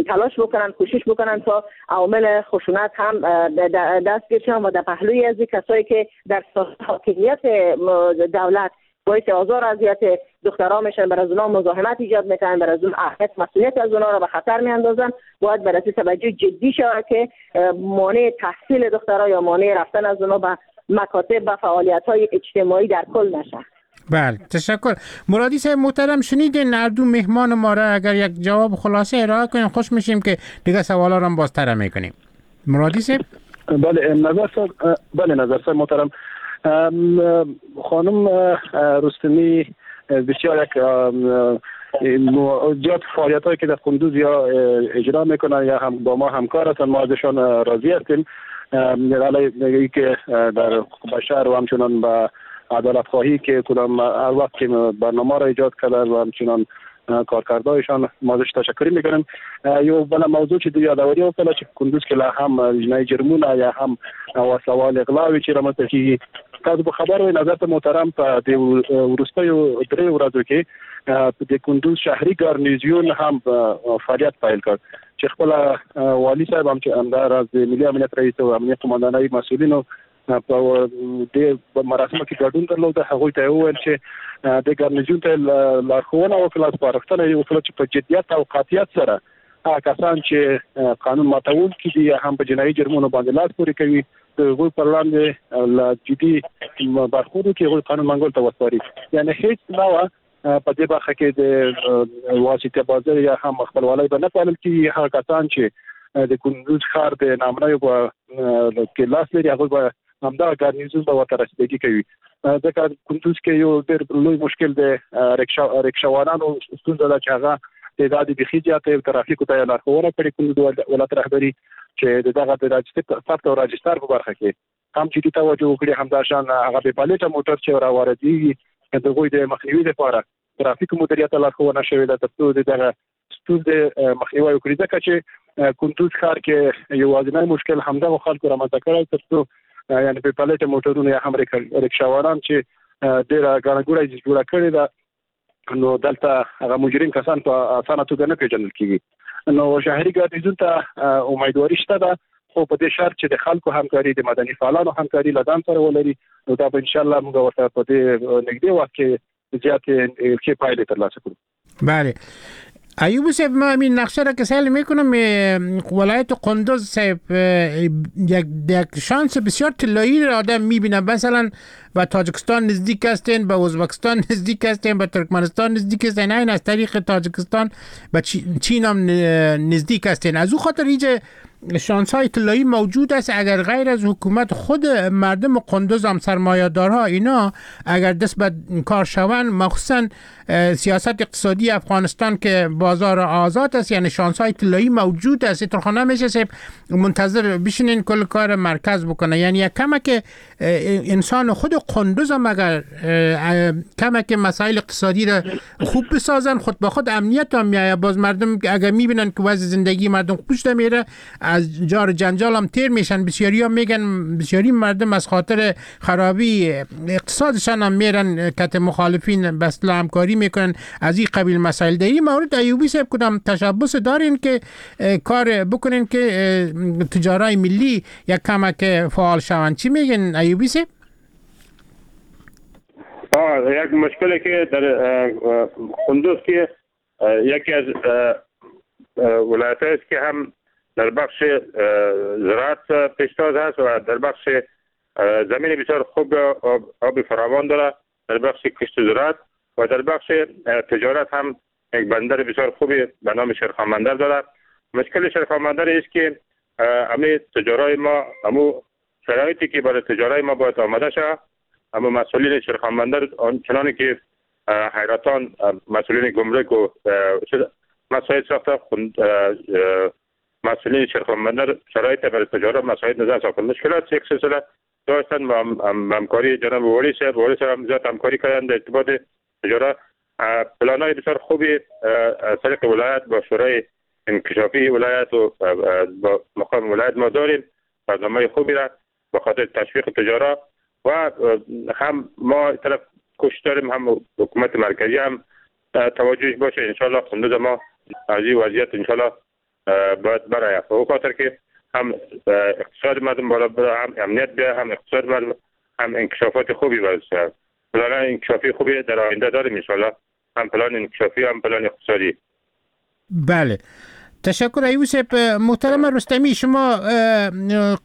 تلاش بکنن، کوشش بکنن تا عوامل خشونت هم دستگیر شوند و در پهلوی از کسایی که در حاکمیت دولت باعث آزار و اذیت دخترها میشن، بر از اونها مزاحمت ایجاد میکنن، بر از اون اهمیت مسئولیت از اونها را به خطر میاندازن، باید بررسی توجه جدی شود که مانع تحصیل دخترها یا مانع رفتن از اونها به مکاتب و فعالیت‌های اجتماعی در کل نشه. بله، تشکر. مرادی صاحب محترم، شنیدین هر دو مهمان ما را، اگر یک جواب خلاصه ارائه کنیم خوش میشیم که دیگه سوالا را هم بازتر میکنیم. مرادی صاحب. بله نظر صاحب، بله نظر صاحب محترم، خانم رستمی بسیار یک زیاد فعالیت هایی که در قندوز یا اجرا میکنن یا هم با ما همکار هستن، ما ازشان راضی هستیم. علیه که در بشر و همچنان به عدالت خواهی که کدام هر وقت که برنامه را ایجاد کردن و همچنان کارکردهایشان ما ازش تشکر میکنیم. یو بل موضوع چې د یادوري وکړه چې کندوز کې لا هم جنایي جرمونه یا هم وسلهوال اغلاوې چې رامنځته کېږي، تاسو به خبر وئ نظر ته محترم په دې وروستیو درې ورځو کې د کندوز شهري ګارنیزیون هم فعالیت پیل کړ چې خپل والي صاحب هم چې همداراز د ملي امنیت رئیس او امنیت قوماندانۍ مسؤلینو په دې مراسمو کې ګډون درلود. هغوی ته یې وویل چې د ګارنیزیون ته لارښوونه وکړه، سپارښتنه یې وکړه چې په جدیت او قاطعیت سره هغه کسان چې قانون ماتوونکي دي یا هم په جنایي جرمونو باندې لاس پورې کوي د هغوی پر وړاندې له جدي برخورد وکړي، هغوی قانون منګول ته وسپاري. یعنې هیڅ نوع په دې برخه کې د واسطه بازۍ یا هم خپلوالۍ به نه پالل کېږي. هغه کسان چې د کندوز ښار د نامنیو په کې لاس لري هغوی به همدغه ګارنیزون به ورته رسیدګي کوي. ځکه کندوز کې یو ډېر لوی مشکل د ریکشا ریکشاوانانو ستونزه ده چې هغه تعداد یې بیخي زیات دی. ترافیکو ته یې لارښوونه کړې کندوز ولایت رهبري چې د دغه د ثبت او راجستر په برخه کې هم جدي توجه وکړي، همداشان هغه بې پلیټه موټر چې را واردېږي د هغوی د مخنیوي لپاره ترافیکو مدیریت ته لارښوونه شوې ده تر څو د دغه ستونزې مخنیوی وکړي. ځکه چې کندوز ښار کې یوازینی مشکل همدغو خلکو رامنځته کړی تر څو یعنی بې پلیټه موټرونه یا هم ریکشاوانان چې ډیره ګڼه ګوڼه جوړه کړې ده، نو دلته هغه مجرم کسان په اسانه توګه نه پیژندل کیږي. نو شهري ګارنیزون ته امیدواري شته ده، خو په دې شرط چې د خلکو همکاري، د مدني فعالانو همکاري له ځان سره ولري، نو دا به انشاءالله موږ ورته په دې نږدې وخت کې زیاتې ښې پایلې ترلاسه کړو. بله ایوب صاحب، ما این نقشه را که سیل میکنم، ولایت قندوز صاحب یک یک شانس بسیار طلایی را آدم میبینه. مثلا به تاجکستان نزدیک هستین، به ازبکستان نزدیک هستین، به ترکمنستان نزدیک هستین، این از طریق تاجکستان به چین هم نزدیک هستین. از او خاطر اینجا شانس های طلایی موجود است. اگر غیر از حکومت خود مردم قندوز هم سرمایه‌دارها اینا اگر دست به کار شوند، مخصوصا سیاست اقتصادی افغانستان که بازار آزاد است، یعنی شانس های طلایی موجود است. ترخانه میشه منتظر بشینین کل کار مرکز بکنه. یعنی یک کمک انسان خود قندوز هم اگر کمک مسائل اقتصادی را خوب بسازن، خود به خود امنیت هم میآید. باز مردم اگر میبینن که وضع زندگی مردم خوب شده میره، از جار جنجال هم تیر میشن. بسیاری ها میگن بسیاری مردم از خاطر خرابی اقتصادشان هم میرن کت مخالفین به اصطلاح همکاری میکنن از این قبیل مسائل. در این مورد ایوبی صاحب کدام تشبث دارین که کار بکنین که تجارای ملی یک کمک فعال شوند؟ چی میگن ایوبی صاحب؟ آه، یک مشکلی که در قندوز که یکی از ولایت است که هم در بخش زراعت پیشتاز هست و در بخش زمین بسیار خوب آب فراوان داره، در بخش کشت زراعت و در بخش تجارت هم یک بندر بسیار خوبی به نام شیرخان بندر داره. مشکل شیرخان بندر است که همه تجارای ما، همو شرایطی که برای تجارای ما باید آماده شود، اما مسئولین شیرخان بندر آنچنانی که حیرتان مسئولین گمرک و مسائل ساخته، مسئولین شیرخان بندر شرایط برای تجارت مساعد نظر ساخته. مشکلات یک سلسله داشتن و همکاری جناب والی صاحب، والی صاحب هم زیاد همکاری کردن در ارتباط تجارت. پلان‌های بسیار خوبی از طریق ولایت با شورای انکشافی ولایت و با مقام ولایت ما داریم، برنامه خوبی را به خاطر تشویق تجارت و هم ما طرف کوشش داریم، هم حکومت مرکزی هم توجهش باشه. انشالله قندوز ما از این وضعیت انشالله باید برای به خاطر که هم اقتصاد مردم بالا بره، هم امنیت بیاد، هم اقتصاد مردم، هم انکشافات خوبی برسه. پلان انکشافی خوبی در آینده داریم انشالله، هم پلان انکشافی هم پلان اقتصادی. بله تشکر ایوب صاحب. محترم رستمی، شما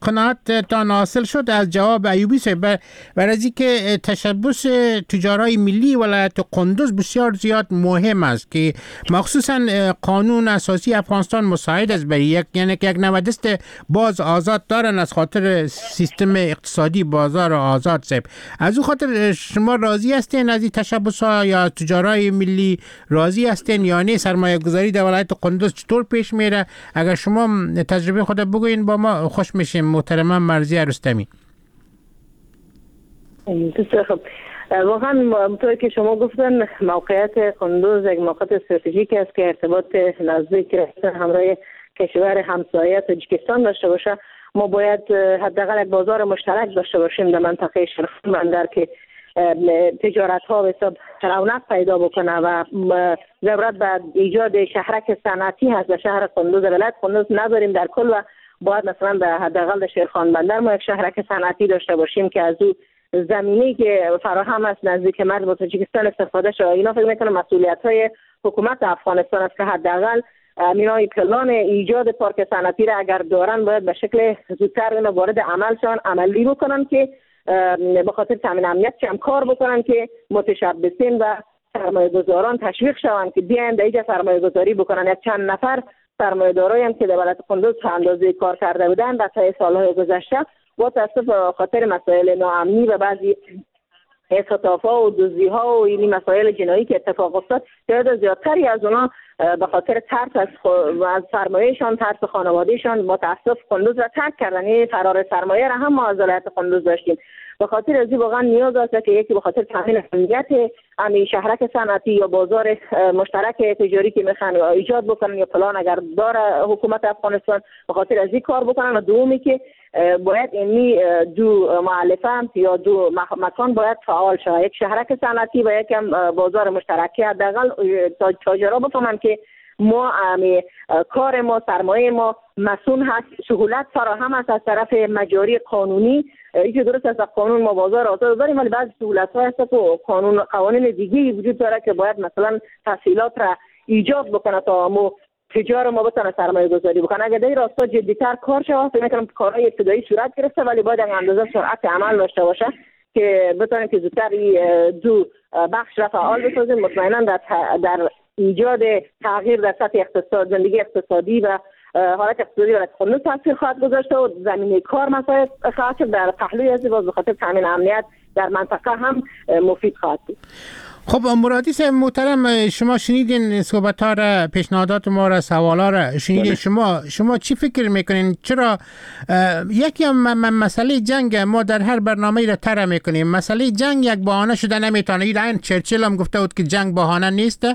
قناعتتان حاصل شد از جواب ایوبی صاحب بر از اینکه تشبث تجارای ملی ولایت قندوز بسیار زیاد مهم است که مخصوصا قانون اساسی افغانستان مساعد است برای یک، یعنی که یک نوع دست باز آزاد دارن از خاطر سیستم اقتصادی بازار آزاد صاحب. از او خاطر شما راضی هستین از این تشبث ها یا تجارای ملی راضی هستین یا نه؟ سرمایه گذاری در ولایت قندوز چطور پیش میره؟ اگر شما تجربه خود بگوین با ما خوش میشیم. محترمه مرضیه رستمی. بسیار خوب. واقعا همونطور که شما گفتن موقعیت قندوز یک موقعیت استراتژیک است که ارتباط نزدیک همراه کشور همسایه تاجیکستان داشته باشه. ما باید حداقل یک بازار مشترک داشته باشیم در منطقه شیرخان بندر که تجارت ها به حساب رونق پیدا بکنه و ضرورت به ایجاد شهرک صنعتی هست در شهر قندوز. ولایت قندوز نداریم در کل و باید مثلا به حداقل در شیرخان بندر ما یک شهرک صنعتی داشته باشیم که از او زمینی که فراهم است نزدیک مرز با تاجیکستان استفاده شود. اینا فکر میکنم مسئولیت های حکومت افغانستان است که حداقل اینا پلان ایجاد پارک صنعتی را اگر دارن باید به شکل زودتر اینا وارد عمل شوند، عملی بکنن که به خاطر تامین امنیت هم کار بکنن که متشبثین و سرمایه گذاران تشویق شوند که بیاین در اینجا سرمایه گذاری بکنن. یک چند نفر سرمایه دارایی هم که در ولایت قندوز اندازه کار کرده بودن در طی سالهای گذشته با تاسف خاطر مسائل ناامنی و بعضی اختطاف‌ها و دزدی‌ها و این مسائل جنایی که اتفاق افتاد، تعداد زیادتری از اونا به خاطر ترس از از سرمایه‌شان، ترس خانواده‌شان متاسف قندوز را ترک کردن. این فرار سرمایه را هم ما از ولایت قندوز داشتیم. به خاطر از این واقعا نیاز است که یکی به خاطر تامین امنیت امی شهرک صنعتی یا بازار مشترک تجاری که میخوان ایجاد بکنن یا پلان اگر داره حکومت افغانستان به خاطر از این کار بکنن، و دومی که باید اینی دو مؤلفه یا دو مکان باید فعال شود، یک شهرک صنعتی و یکم بازار مشترک، حداقل تاجرها بفهمن که ما امی کار ما سرمایه ما مسئول هست، سهولت فراهم است از طرف مجاری قانونی. اینکه درست است قانون ما بازار آزاد داریم، ولی بعضی سهولت ها هست که قانون قوانین دیگه وجود داره که باید مثلا تسهیلات را ایجاد بکنه تا ما تجار ما بتونه سرمایه گذاری بکنه. اگر در این راستا جدی‌تر کار شود، فکر می‌کنم کارهای ابتدایی صورت گرفته، ولی باید اندازه سرعت عمل داشته باشه که بتونیم که زودتر دو بخش را فعال بسازیم. مطمئنا در در ایجاد تغییر در سطح اقتصاد، زندگی اقتصادی و حالت اقتصادی و خود تاثیر خواهد گذاشت و زمینه کار مساعد خواهد شد. در پهلوی از باز به خاطر تامین امنیت در منطقه هم مفید خواهد بود. خب مرادی صاحب محترم، شما شنیدین صحبت ها را، پیشنهادات ما را، سوال ها را شنیدین. شما شما چی فکر میکنین؟ چرا یکی هم مسئله جنگ ما در هر برنامه را طرح میکنیم، مسئله جنگ یک بهانه شده نمیتونه. این چرچیل هم گفته بود که جنگ بهانه نیست.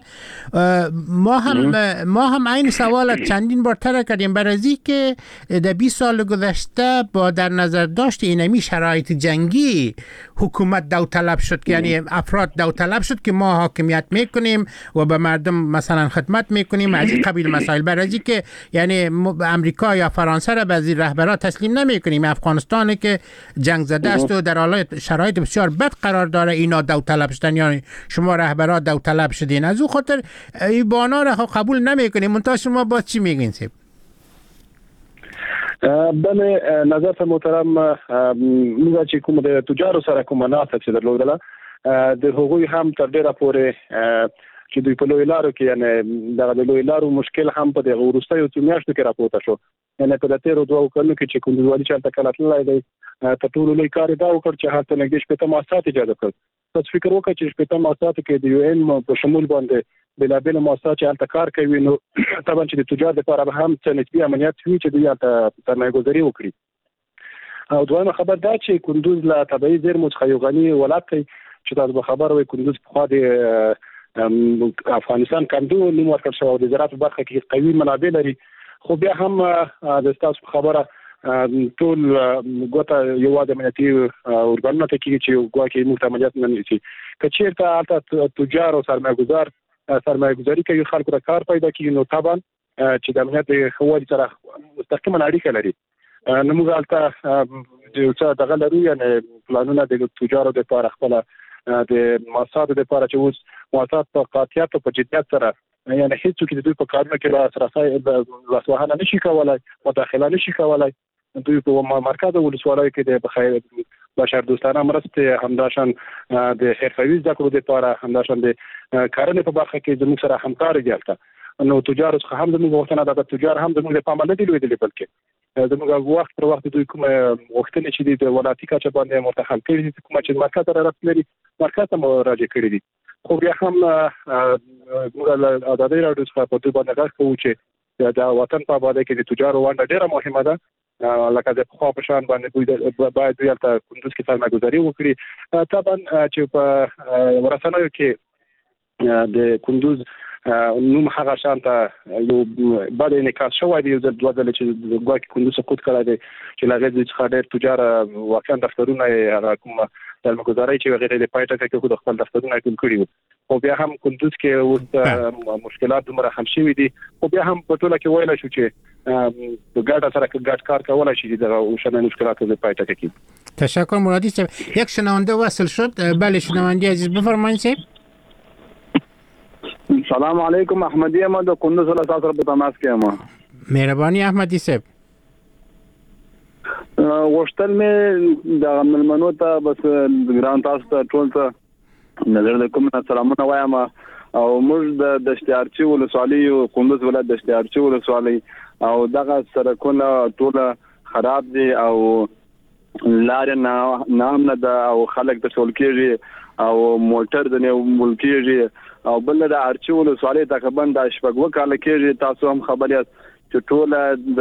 ما هم ما هم این سوال چندین بار طرح کردیم برای که در بیست سال گذشته با در نظر داشت اینمی شرایط جنگی حکومت داوطلب شد، یعنی افراد داوطلب شد که ما حاکمیت میکنیم و به مردم مثلا خدمت میکنیم، از این قبیل مسائل. برای که یعنی امریکا یا فرانسه را به زیر رهبرا تسلیم نمیکنیم. افغانستان که جنگ زده است و در حالت شرایط بسیار بد قرار داره، اینا داوطلب شدن، یعنی شما رهبرا داوطلب شدین، از او خاطر این بانا را قبول نمیکنیم. منتها شما با چی میگین سیب؟ بله نظر محترم، موږ چې کوم د تجارو سره کومه ناسته چې درلودله، د هغوی هم تر ډېره پورې چې دوی په لوی لارو کې، یعنی دغه د لوی لارو مشکل هم په دغه وروستیو څو میاشتو کې راپورته شو. یعنی په تېرو دوو کلونو کې چې کندوز والي چې هلته کله تللی دی، تر ټولو لوی کار یې دا وکړ چې هلته نږدې شپېته مؤسسات ایجاد کړل. تاسو فکر وکړئ چې شپېته مؤسساتو کې د یو ان په شمول باندې بېلابېل مؤسسات چې هلته کار کوي، نو طبعا چې د تجار لپاره به هم څه نسبي امنیت وي چې دوی هلته سرمایه ګذاري وکړي. او دویمه خبر دا چې کندوز له طبیعي زیرمو څخه یو غني ولایت دی چې تاسو به خبر وئ، کندوز پخوا د افغانستان کندو نوم ورکړل شوی او د زراعت په برخه کې قوي منابع لري. خو بیا هم د ستاسو په خبره ټول ګوته یوازې امنیتي ارګانونو ته کېږي چې ګواکې موږ ته امنیت نه نیسي. که چېرته هلته تجار او سرمایه ګذار سرمایه ګذاري کوي، خلکو ته کار پیدا کېږي، نو طبعا چې د امنیت د ښه والي سره مستقیما اړیکه لري. نو موږ هلته یو څه دغه لرو، یعنې پلانونه د تجارو دپاره، خپله د مؤسساتو دپاره چې اوس مؤسسات په قاطعیت او په جدیت سره، یعنې هیڅوک د دوی په کارونو کې لاسرسی لاسوهنه نشي کولی، مداخله نشي کولی. دوی په مرکز ولسوالیو کې د بخیر بشردوستانه مرستې، همداشان د حرفوي زده کړو دپاره، همداشان د کرنې په برخه کې زموږ سره همکار دي هلته. نو تجارو څخه هم زموږ غوښتنه ده، تجار هم زموږ له پامه نه دي لوېدلي، بلکې زموږ وخت پر وخت دوی کومه غوښتنې چې دي د ولایتي کچه باندې ورته حل کړي دي، کومه چې مرکز ته ربط لري مرکز ته مراجعه کړي دي. خو بیا هم موږ له ازادۍ راډیو څخه په دوی باندې غږ کوو چې د وطن په ابادۍ کې د تجارو ونډه ډېره مهمه ده. لکه د پخوا په شان باندې باید دوی هلته کندوز کې سرمایه ګذاري وکړي. طبعا چې په رسنیو کې د کندوز نوم هغه شان ته یو بد انعکاس شوی دی، یو ځل دوه ځله چې ګواکې کندوز سقوط کړی دی، چې له هغې څخه ډېر تجار واقعا دفترونه یې هغه کومه سرمایه ګذارۍ چې هغې ته د پای ټکی کېښود، خپل دفترونه یې ټول کړي وو. خو بیا هم کندوز کې اوس مشکلات دومره حل شوي دي، خو بیا هم په ټوله کې ویلی شو چې په ګډه سره ګډ کار کولای شي چې دغه اوسنۍ مشکلات د پای ټکی کړي. تشکر مرادی صاحب. یک شنونده وصل شد. بله شنونده عزیز بفرمایید صاحب. سلام علیکم، احمدی یم د کندوز له تاسو سره په تماس کې یم. مهرباني احمدی صاحب. غوښتل مې دغه مېلمنو ته بس ګران تاسو ته ټول ته نظر د کوم سلامونه وایم. او موږ د دشت ارچي ولسوالۍ یو، کندوز ولایت دشت ارچي ولسوالۍ، او دغه سړکونه ټوله خراب دي او لارې ناامنه ده او خلک تشول کېږي او موټر د نیول کېږي. او بل د ارچي ولسوالۍ تقریبا د شپږ کاله کېږي، تاسو هم خبر یاست چې ټوله د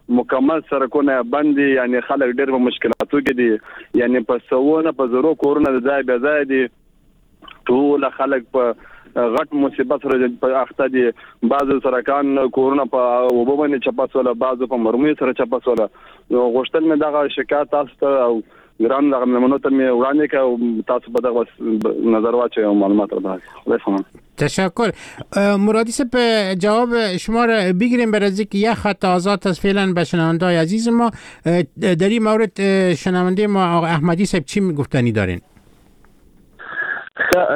مکمل سرکونه بند دي، یعنی خلک ډېر په مشکلاتو کې دي، یعنی په سوونه په زرو کورونه د ځای بې ځایه دي، ټول خلک په غټ مصیبت سره په اخته دي. بعضو سرکان کورونه په اوبو باندې چپه سوله، بعضو په مرمیو سره چپه سوله. نو غوښتل مې دغه شکایت تاسو ته او ګران دغه مېلمنو ته مې وړاندې کړ او تاسو په دغه نظر واچوئ او معلومات راکړئ. خدای ښه. تشکر. مرادی صاحب، جواب شما را بگیریم بر از اینکه یک خط آزاد است فعلا به شنونده‌های عزیز ما. در این مورد شنونده ما آقای احمدی صاحب چی گفتنی دارین؟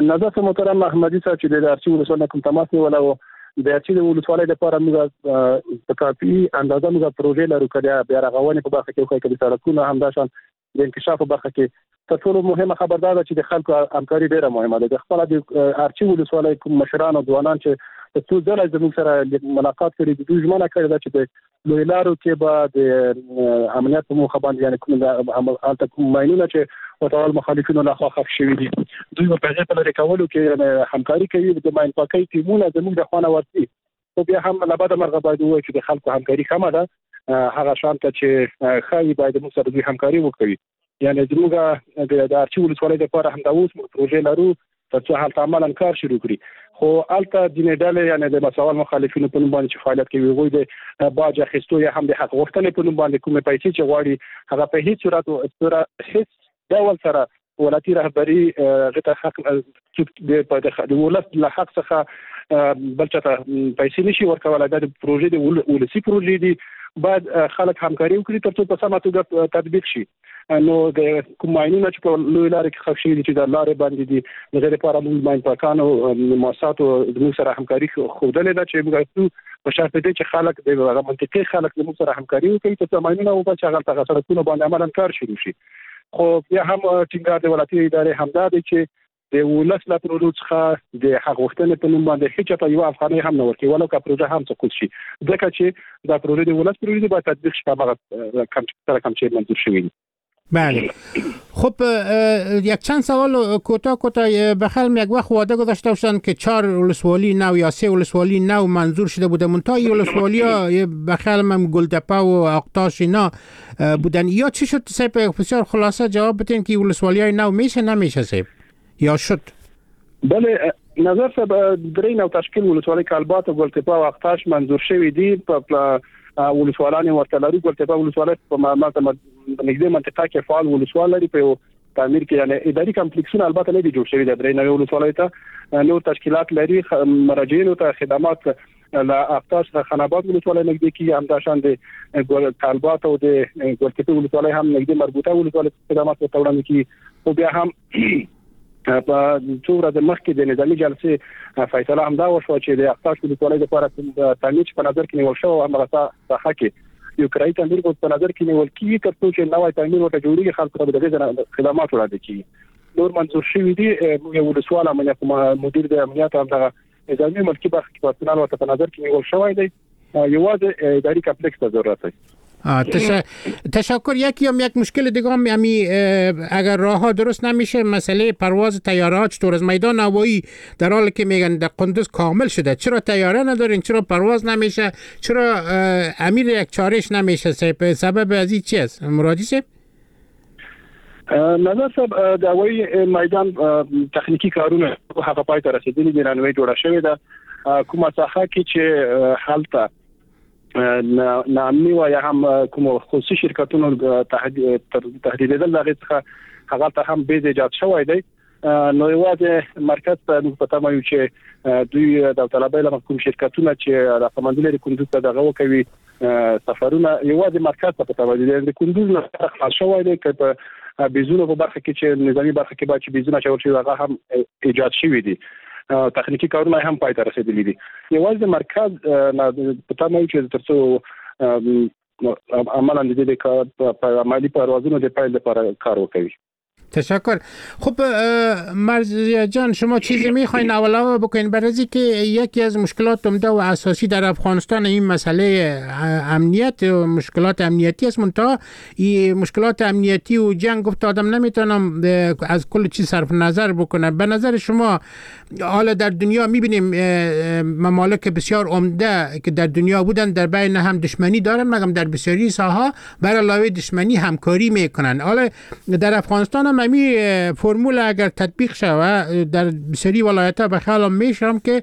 نظر محترم احمدی صاحب چې د ارچي ولسوالۍ کوم تماس نیولی و، د ارچي د ولسوالۍ لپاره موږ په کافي اندازه موږ پروژې لرو، که د بیا رغونې په برخه کې وښایي، که د سړکونو، همداشان د انکشاف په برخه کې. تر ټولو مهمه خبر دا ده چې د خلکو همکاري ډېره مهمه ده. د خپله د ارچي ولسوالۍ کوم مشران او ځوانان چې څو ځله زموږ سره ملاقات کړي، دوی ژمنه کړې ده چې د لوی لارو کې به د امنیت په موخه باندې، یعنې کوم هلته کوم ماینونه چې وسلهوال مخالفینو لخوا ښخ شوي دي، دوی به په هغې په لرې کولو کې همکاري کوي. د ماین پاکۍ ټیمونه زموږ د خوا نه ورځي، خو بیا هم له بده مرغه باید ووایو چې د خلکو همکاري کمه ده، هغه شان ته چې ښایي باید موږ سره دوی همکاري وکړي. یعنې زموږ د ارچي ولسوالۍ لپاره همدا اوس موږ پروژې لرو تر څو هلته عملاً کار شروع کړي. خو هلته ځینې ډلې، یعنې د وسلهوال مخالفینو په نوم باندې چې فعالیت کوي، هغوی د باج اخیستو یا هم د حق غوښتنې په نوم باندې کومې پیسې چې غواړي، هغه په هیڅ صورت هیڅ ډول سره ولایتي رهبري هغې ته حق د ولس له حق څخه بل چا ته پیسې نشي ورکولی. دا د پروژې د ولسي پروژې دي، باید خلک همکاري وکړي تر څو په سمه توګه تطبیق شي. نو د کوم ماینونه چې په لوی لارې کې ښخ شوي دي چې د لارې باندې دي، د هغې لپاره موږ ماین پاکانو مؤسساتو زموږ سره همکاري ښودلې ده چې موږ ځو په شرط دې چې خلک د هغه منطقې خلک زموږ سره همکاري وکړي تر څو ماینونه وباسي، هغه هلته هغه سړکونو باندې عملاً کار شروع شي. خو بیا هم ټینګار د ولایتي ادارې همدا دی چې د ولس له پروژو څخه د حق غوښتنې په نوم باندې هیچا ته یوه افغانۍ هم نه ورکوي، ولو که پروژه هم سقوط شي، ځکه چې دا پروژې د ولس پروژې دي، باید تطبیق شي په هماغه سره کوم چې منظور شوي دي. بله. خب یک چند سوال کوتاه کوتاه بخیرم. یک وقت وعده گذاشته باشن که چهار ولسوالی نو یا سه ولسوالی نو منظور شده بوده، منتها این ولسوالی ها بخیرم هم گلدپه و آقتاش اینا بودن، یا چی شد صاحب؟ بسیار خلاصه جواب بدین که ولسوالی های نو میشه نمیشه صاحب یا شد؟ بله نظر صاحب، درې نو تشکیل ولسوالی کالبات او ګلتپه او آقتاش منظور شوی دي، په ولسوالان ورته لرو. ګلتپه ولسوالۍ په نږدې منطقه کې فعال ولسوال لري، په یو تعمیر کې یعنی اداري کمپلیکسونه البته نه دي جوړ شوي، د درې نوې ولسوالۍ ته نور تشکیلات لري، مراجعینو ته خدمات له آقتاش څخه خان آباد ولسوالۍ نږدې کېږي، همداشان د کالبات او د ګلتپې ولسوالۍ هم نږدې مربوطه ولسوالۍ خدمات ورته وړاندې کېږي. خو بیا هم په څو ورځې مخکې د نظامي جلسې فیصله هم دا وشوه چې د آقتاش ولسوالۍ لپاره کوم تعمیر چې په نظر کې نیول شوی همغه ساحه کې یو کرایي تعمیر په نظر کې نیول کېږي تر څو چې نوی تعمیر ورته جوړېږي، خلکو ته به د هغې خدمات وړاندې کېږي. نور منظور شوي دي. موږ یو ولسوال امنیت مدیر د امنیت همدغه نظامي ملکي برخه کې پرسونل ورته په نظر کې نیول شوی دی، یوازې اداري کمپلیکس ته ضرورت دی. تش... تشکر. یکی هم یک مشکل دیگه هم یعنی اگر راه ها درست نمیشه، مسئله پرواز طیاره ها چطور از میدان هوایی در حالی که میگن در قندوز کامل شده، چرا طیاره ندارین، چرا پرواز نمیشه، چرا امیر یک چارش نمیشه؟ سبب از این چی است مرادی صاحب؟ نظر صاحب، د هوایي میدان تخنیکي کارونه هغه پای ته رسېدلي دي، رنوی جوړه شوې ده. کومه ساحه کې چې هلته ناامني وه یا هم کوم خصوصي شرکتونو تهدیدېدل، د هغې څخه هغلته هم بیز ایجاد شوی دی. نو یوازې مرکز ته موږ په تمه یو چې دوی داوطلبۍ له کوم شرکتونه چې علاقمندي لري کندوز ته دغه وکوي سفرونه، یوازې مرکز ته په تمه دي. د کندوز نه خلاص شوی دی، که په بیزونو په برخه کې چې نظامي برخه کې باید چې بیزونه اچول شوي هغه هم ایجاد شوي دي، تخنیکي کارونه هم پای ته رسېدلي دي. یوازې مرکز په تمه یو چې تر څو عملاً د دې په عملي پروازونو د پیل لپاره کار وکوي. تشکر. خب مرضیه جان، شما چیزی میخواین علاوه بکنین؟ برای که یکی از مشکلات عمده و اساسی در افغانستان این مسئله امنیت و مشکلات امنیتی است. منتها این مشکلات امنیتی و جنگ گفت آدم نمیتونم از کل چیز صرف نظر بکنه. به نظر شما حالا در دنیا میبینیم ممالک بسیار عمده که در دنیا بودن در بین هم دشمنی دارن، مگم در بسیاری ساحه بر علاوه دشمنی همکاری میکنن. حالا در افغانستان هم امی فرمول اگر تطبیق شود در بسیاری ولایت‌ها به خیالم میشم که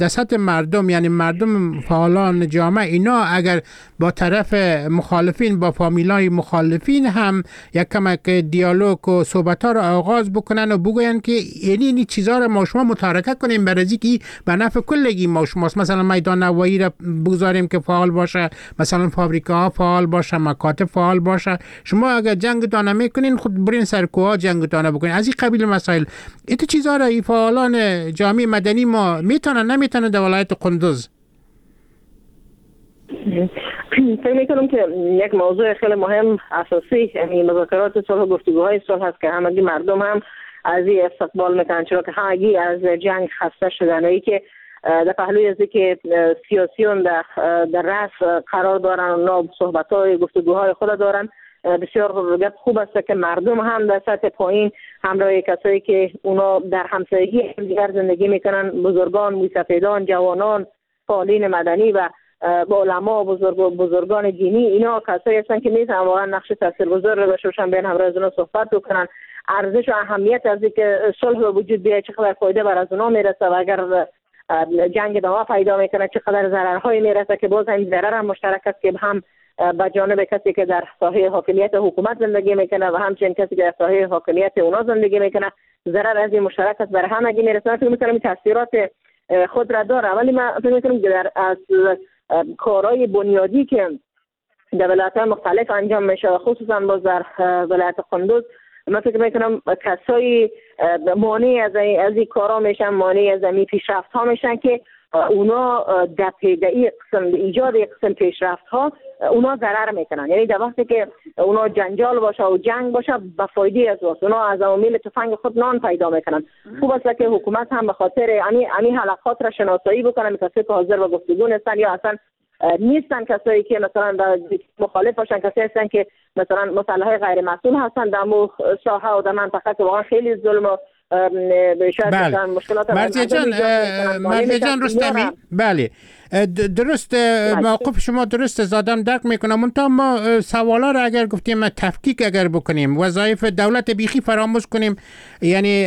دست مردم، یعنی مردم فعالان جامعه اینا اگر با طرف مخالفین، با فامیلای مخالفین هم یک کمک دیالوگ و صحبت‌ها را آغاز بکنن و بگوین که یعنی این چیزا را ما شما متارکه کنیم برای که به نفع کلگی ما شماست. مثلا میدان هوایی را بگذاریم که فعال باشه، مثلا فابریکه ها فعال باشه، مکاتب فعال باشه. شما اگر جنگ دانه میکنین خود برین سر کوه جنگ دانه بکنین. از این قبیل مسائل، این چیزا را فعالان جامعه مدنی ما میتونن نمیتونن در ولایت قندوز؟ فکر میکنم که یک موضوع خیلی مهم اساسی یعنی مذاکرات صلح و گفتگوهای صلح هست که همگی مردم هم از این استقبال میکنن، چرا که همگی از جنگ خسته شدن و ای که در پهلوی از که سیاسیون در در رأس قرار دارن و نا صحبت‌های گفتگوهای خود دارن، بسیار گپ خوب است که مردم هم در سطح پایین همراه کسایی که اونا در همسایگی دیگر زندگی میکنن، بزرگان، موسفیدان، جوانان، فعالین مدنی و با علما، بزرگ بزرگان دینی، اینا کسایی هستن که میتونن واقعا نقش تاثیرگذار رو داشته باشن، بیان همراه از اونا صحبت بکنن، ارزش و اهمیت از اینکه صلح به وجود بیاد چقدر فایده بر از اونا میرسه و اگر جنگ ادامه پیدا میکنه چقدر ضررهایی میرسه که باز هم ضرر هم مشترک است که هم به جانب کسی که در ساحه حاکمیت حکومت زندگی میکنه و همچنین کسی که در ساحه حاکمیت اونا زندگی میکنه، ضرر از این مشترک است بر همگی میرسه. فکر میکنم تاثیرات خود را داره، ولی من فکر میکنم که در از کارهای بنیادی که در ولایت‌های مختلف انجام میشه و خصوصا باز در ولایت قندوز، من فکر میکنم کسایی مانع از از این کارا میشن، مانع از این پیشرفت ها میشن که اونا در این قسم ایجاد قسم پیشرفت ها اونا ضرر میکنن. یعنی در وقتی که اونا جنجال باشه و جنگ باشه به فایده از واست، اونا از عوامل تفنگ خود نان پیدا میکنن. خوب است که حکومت هم به خاطر امی امی حلقات را شناسایی بکنن، کسایی که حاضر به گفتگو نیستن یا اصلا نیستن، کسایی که مثلا مخالف باشن، کسایی هستن که مثلا مسلح‌های غیر مسئول هستن در مو ساحه و در منطقه که واقعا خیلی ظلم و بله. مرضیه جان، مرضیه جان رستمی، بله درست، موقف شما درست زادم درک میکنم. منتها ما سوالا را اگر گفتیم تفکیک اگر بکنیم، وظایف دولت بیخی فراموش کنیم، یعنی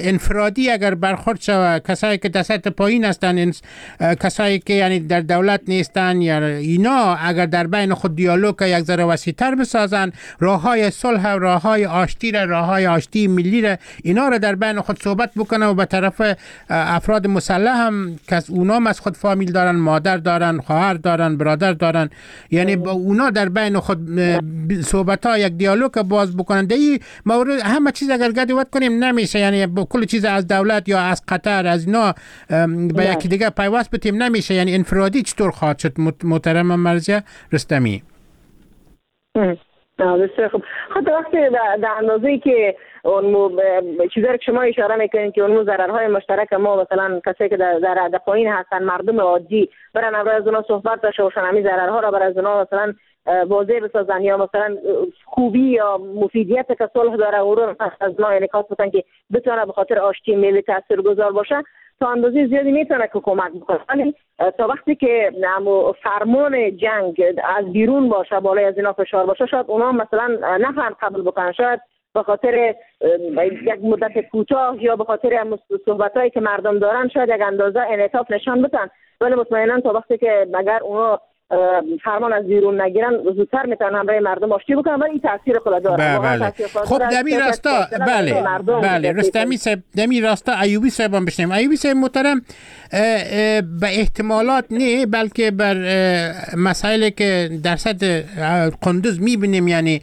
انفرادی اگر برخورد شود، کسایی که در سطح پایین هستن، کسایی که یعنی در دولت نیستن یا اینا، اگر در بین خود دیالوگ یک ذره وسیع‌تر بسازن، راههای صلح، راههای آشتی را، راههای آشتی ملی را، اینا را در بین خود صحبت بکنه و به طرف افراد مسلح هم که از اونا از خود فامیل دارن، مادر دارن، خواهر دارن، برادر دارن، یعنی با اونا در بین خود صحبت ها یک دیالوگ باز بکنن. در این مورد همه چیز اگر گدوت کنیم نمیشه، یعنی با کل چیز از دولت یا از قطر از اینا به یکی دیگه پیوست بتیم نمیشه، یعنی انفرادی چطور خواهد شد محترم مرضیه رستمی؟ بسیار خوب. خب وقتی در اندازه‌ای که اون چیزایی که شما اشاره میکنین که اون ضررهای مشترک ما، مثلا کسایی که در در پایین هستن، مردم عادی، برن اول از اونا صحبت داشته باشن، همین ضررها را بر از اونا مثلا واضح بسازن، یا مثلا خوبی یا مفیدیت که صلح داره او رو از ما انعکاس بدن که بتونه به خاطر آشتی ملی تاثیرگذار باشه، تا اندازه زیادی میتونه که کمک بکنه. ولی تا وقتی که فرمان جنگ از بیرون باشه، بالای از اینا فشار باشه، شاید اونا مثلا نفهم قبول بکنن، شاید به خاطر یک مدت کوتاه یا به خاطر صحبت‌هایی که مردم دارن شاید یک اندازه انعطاف نشان بدن، ولی مطمئنا تا وقتی که مگر اونا فرمان از بیرون نگیرن زودتر میتونن همراه مردم آشتی بکنن، ولی این تاثیر خود داره. بله. خب دمی راستا، بله بله رستمی صاحب، دمی راستا ایوبی صاحب هم بشنیم. ایوبی صاحب محترم، به احتمالات نه بلکه بر مسائلی که در سطح قندوز میبینیم، یعنی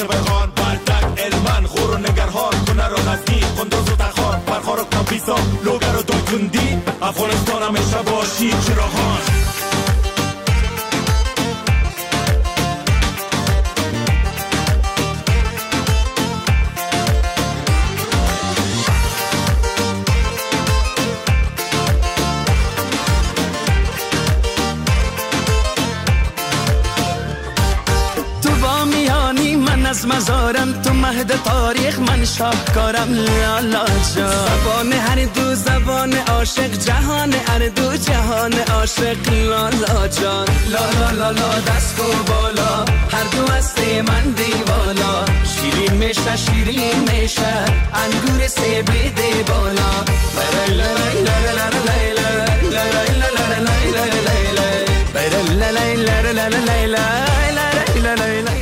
شبرخان، بلدک، المن، خور و نگرهار، کنر و غزنی، قندوز و تخار، فرخار و کاپیسا، لوگر و دایکندی، افغانستان همیشه باشی چراغان. از مزارم تو مهد تاریخ من شاهکارم لالا جان. زبان هر دو زبان عاشق، جهان هر دو جهان عاشق لالا جان. لا لا لا دست و بالا، هر دو هستی من دیوالا، شیرین میشه شیرین میشه انگور سیبی بالا. لا لا لا لا لا لا لا لا لا لا لا لا لا لا لا لا لا لا.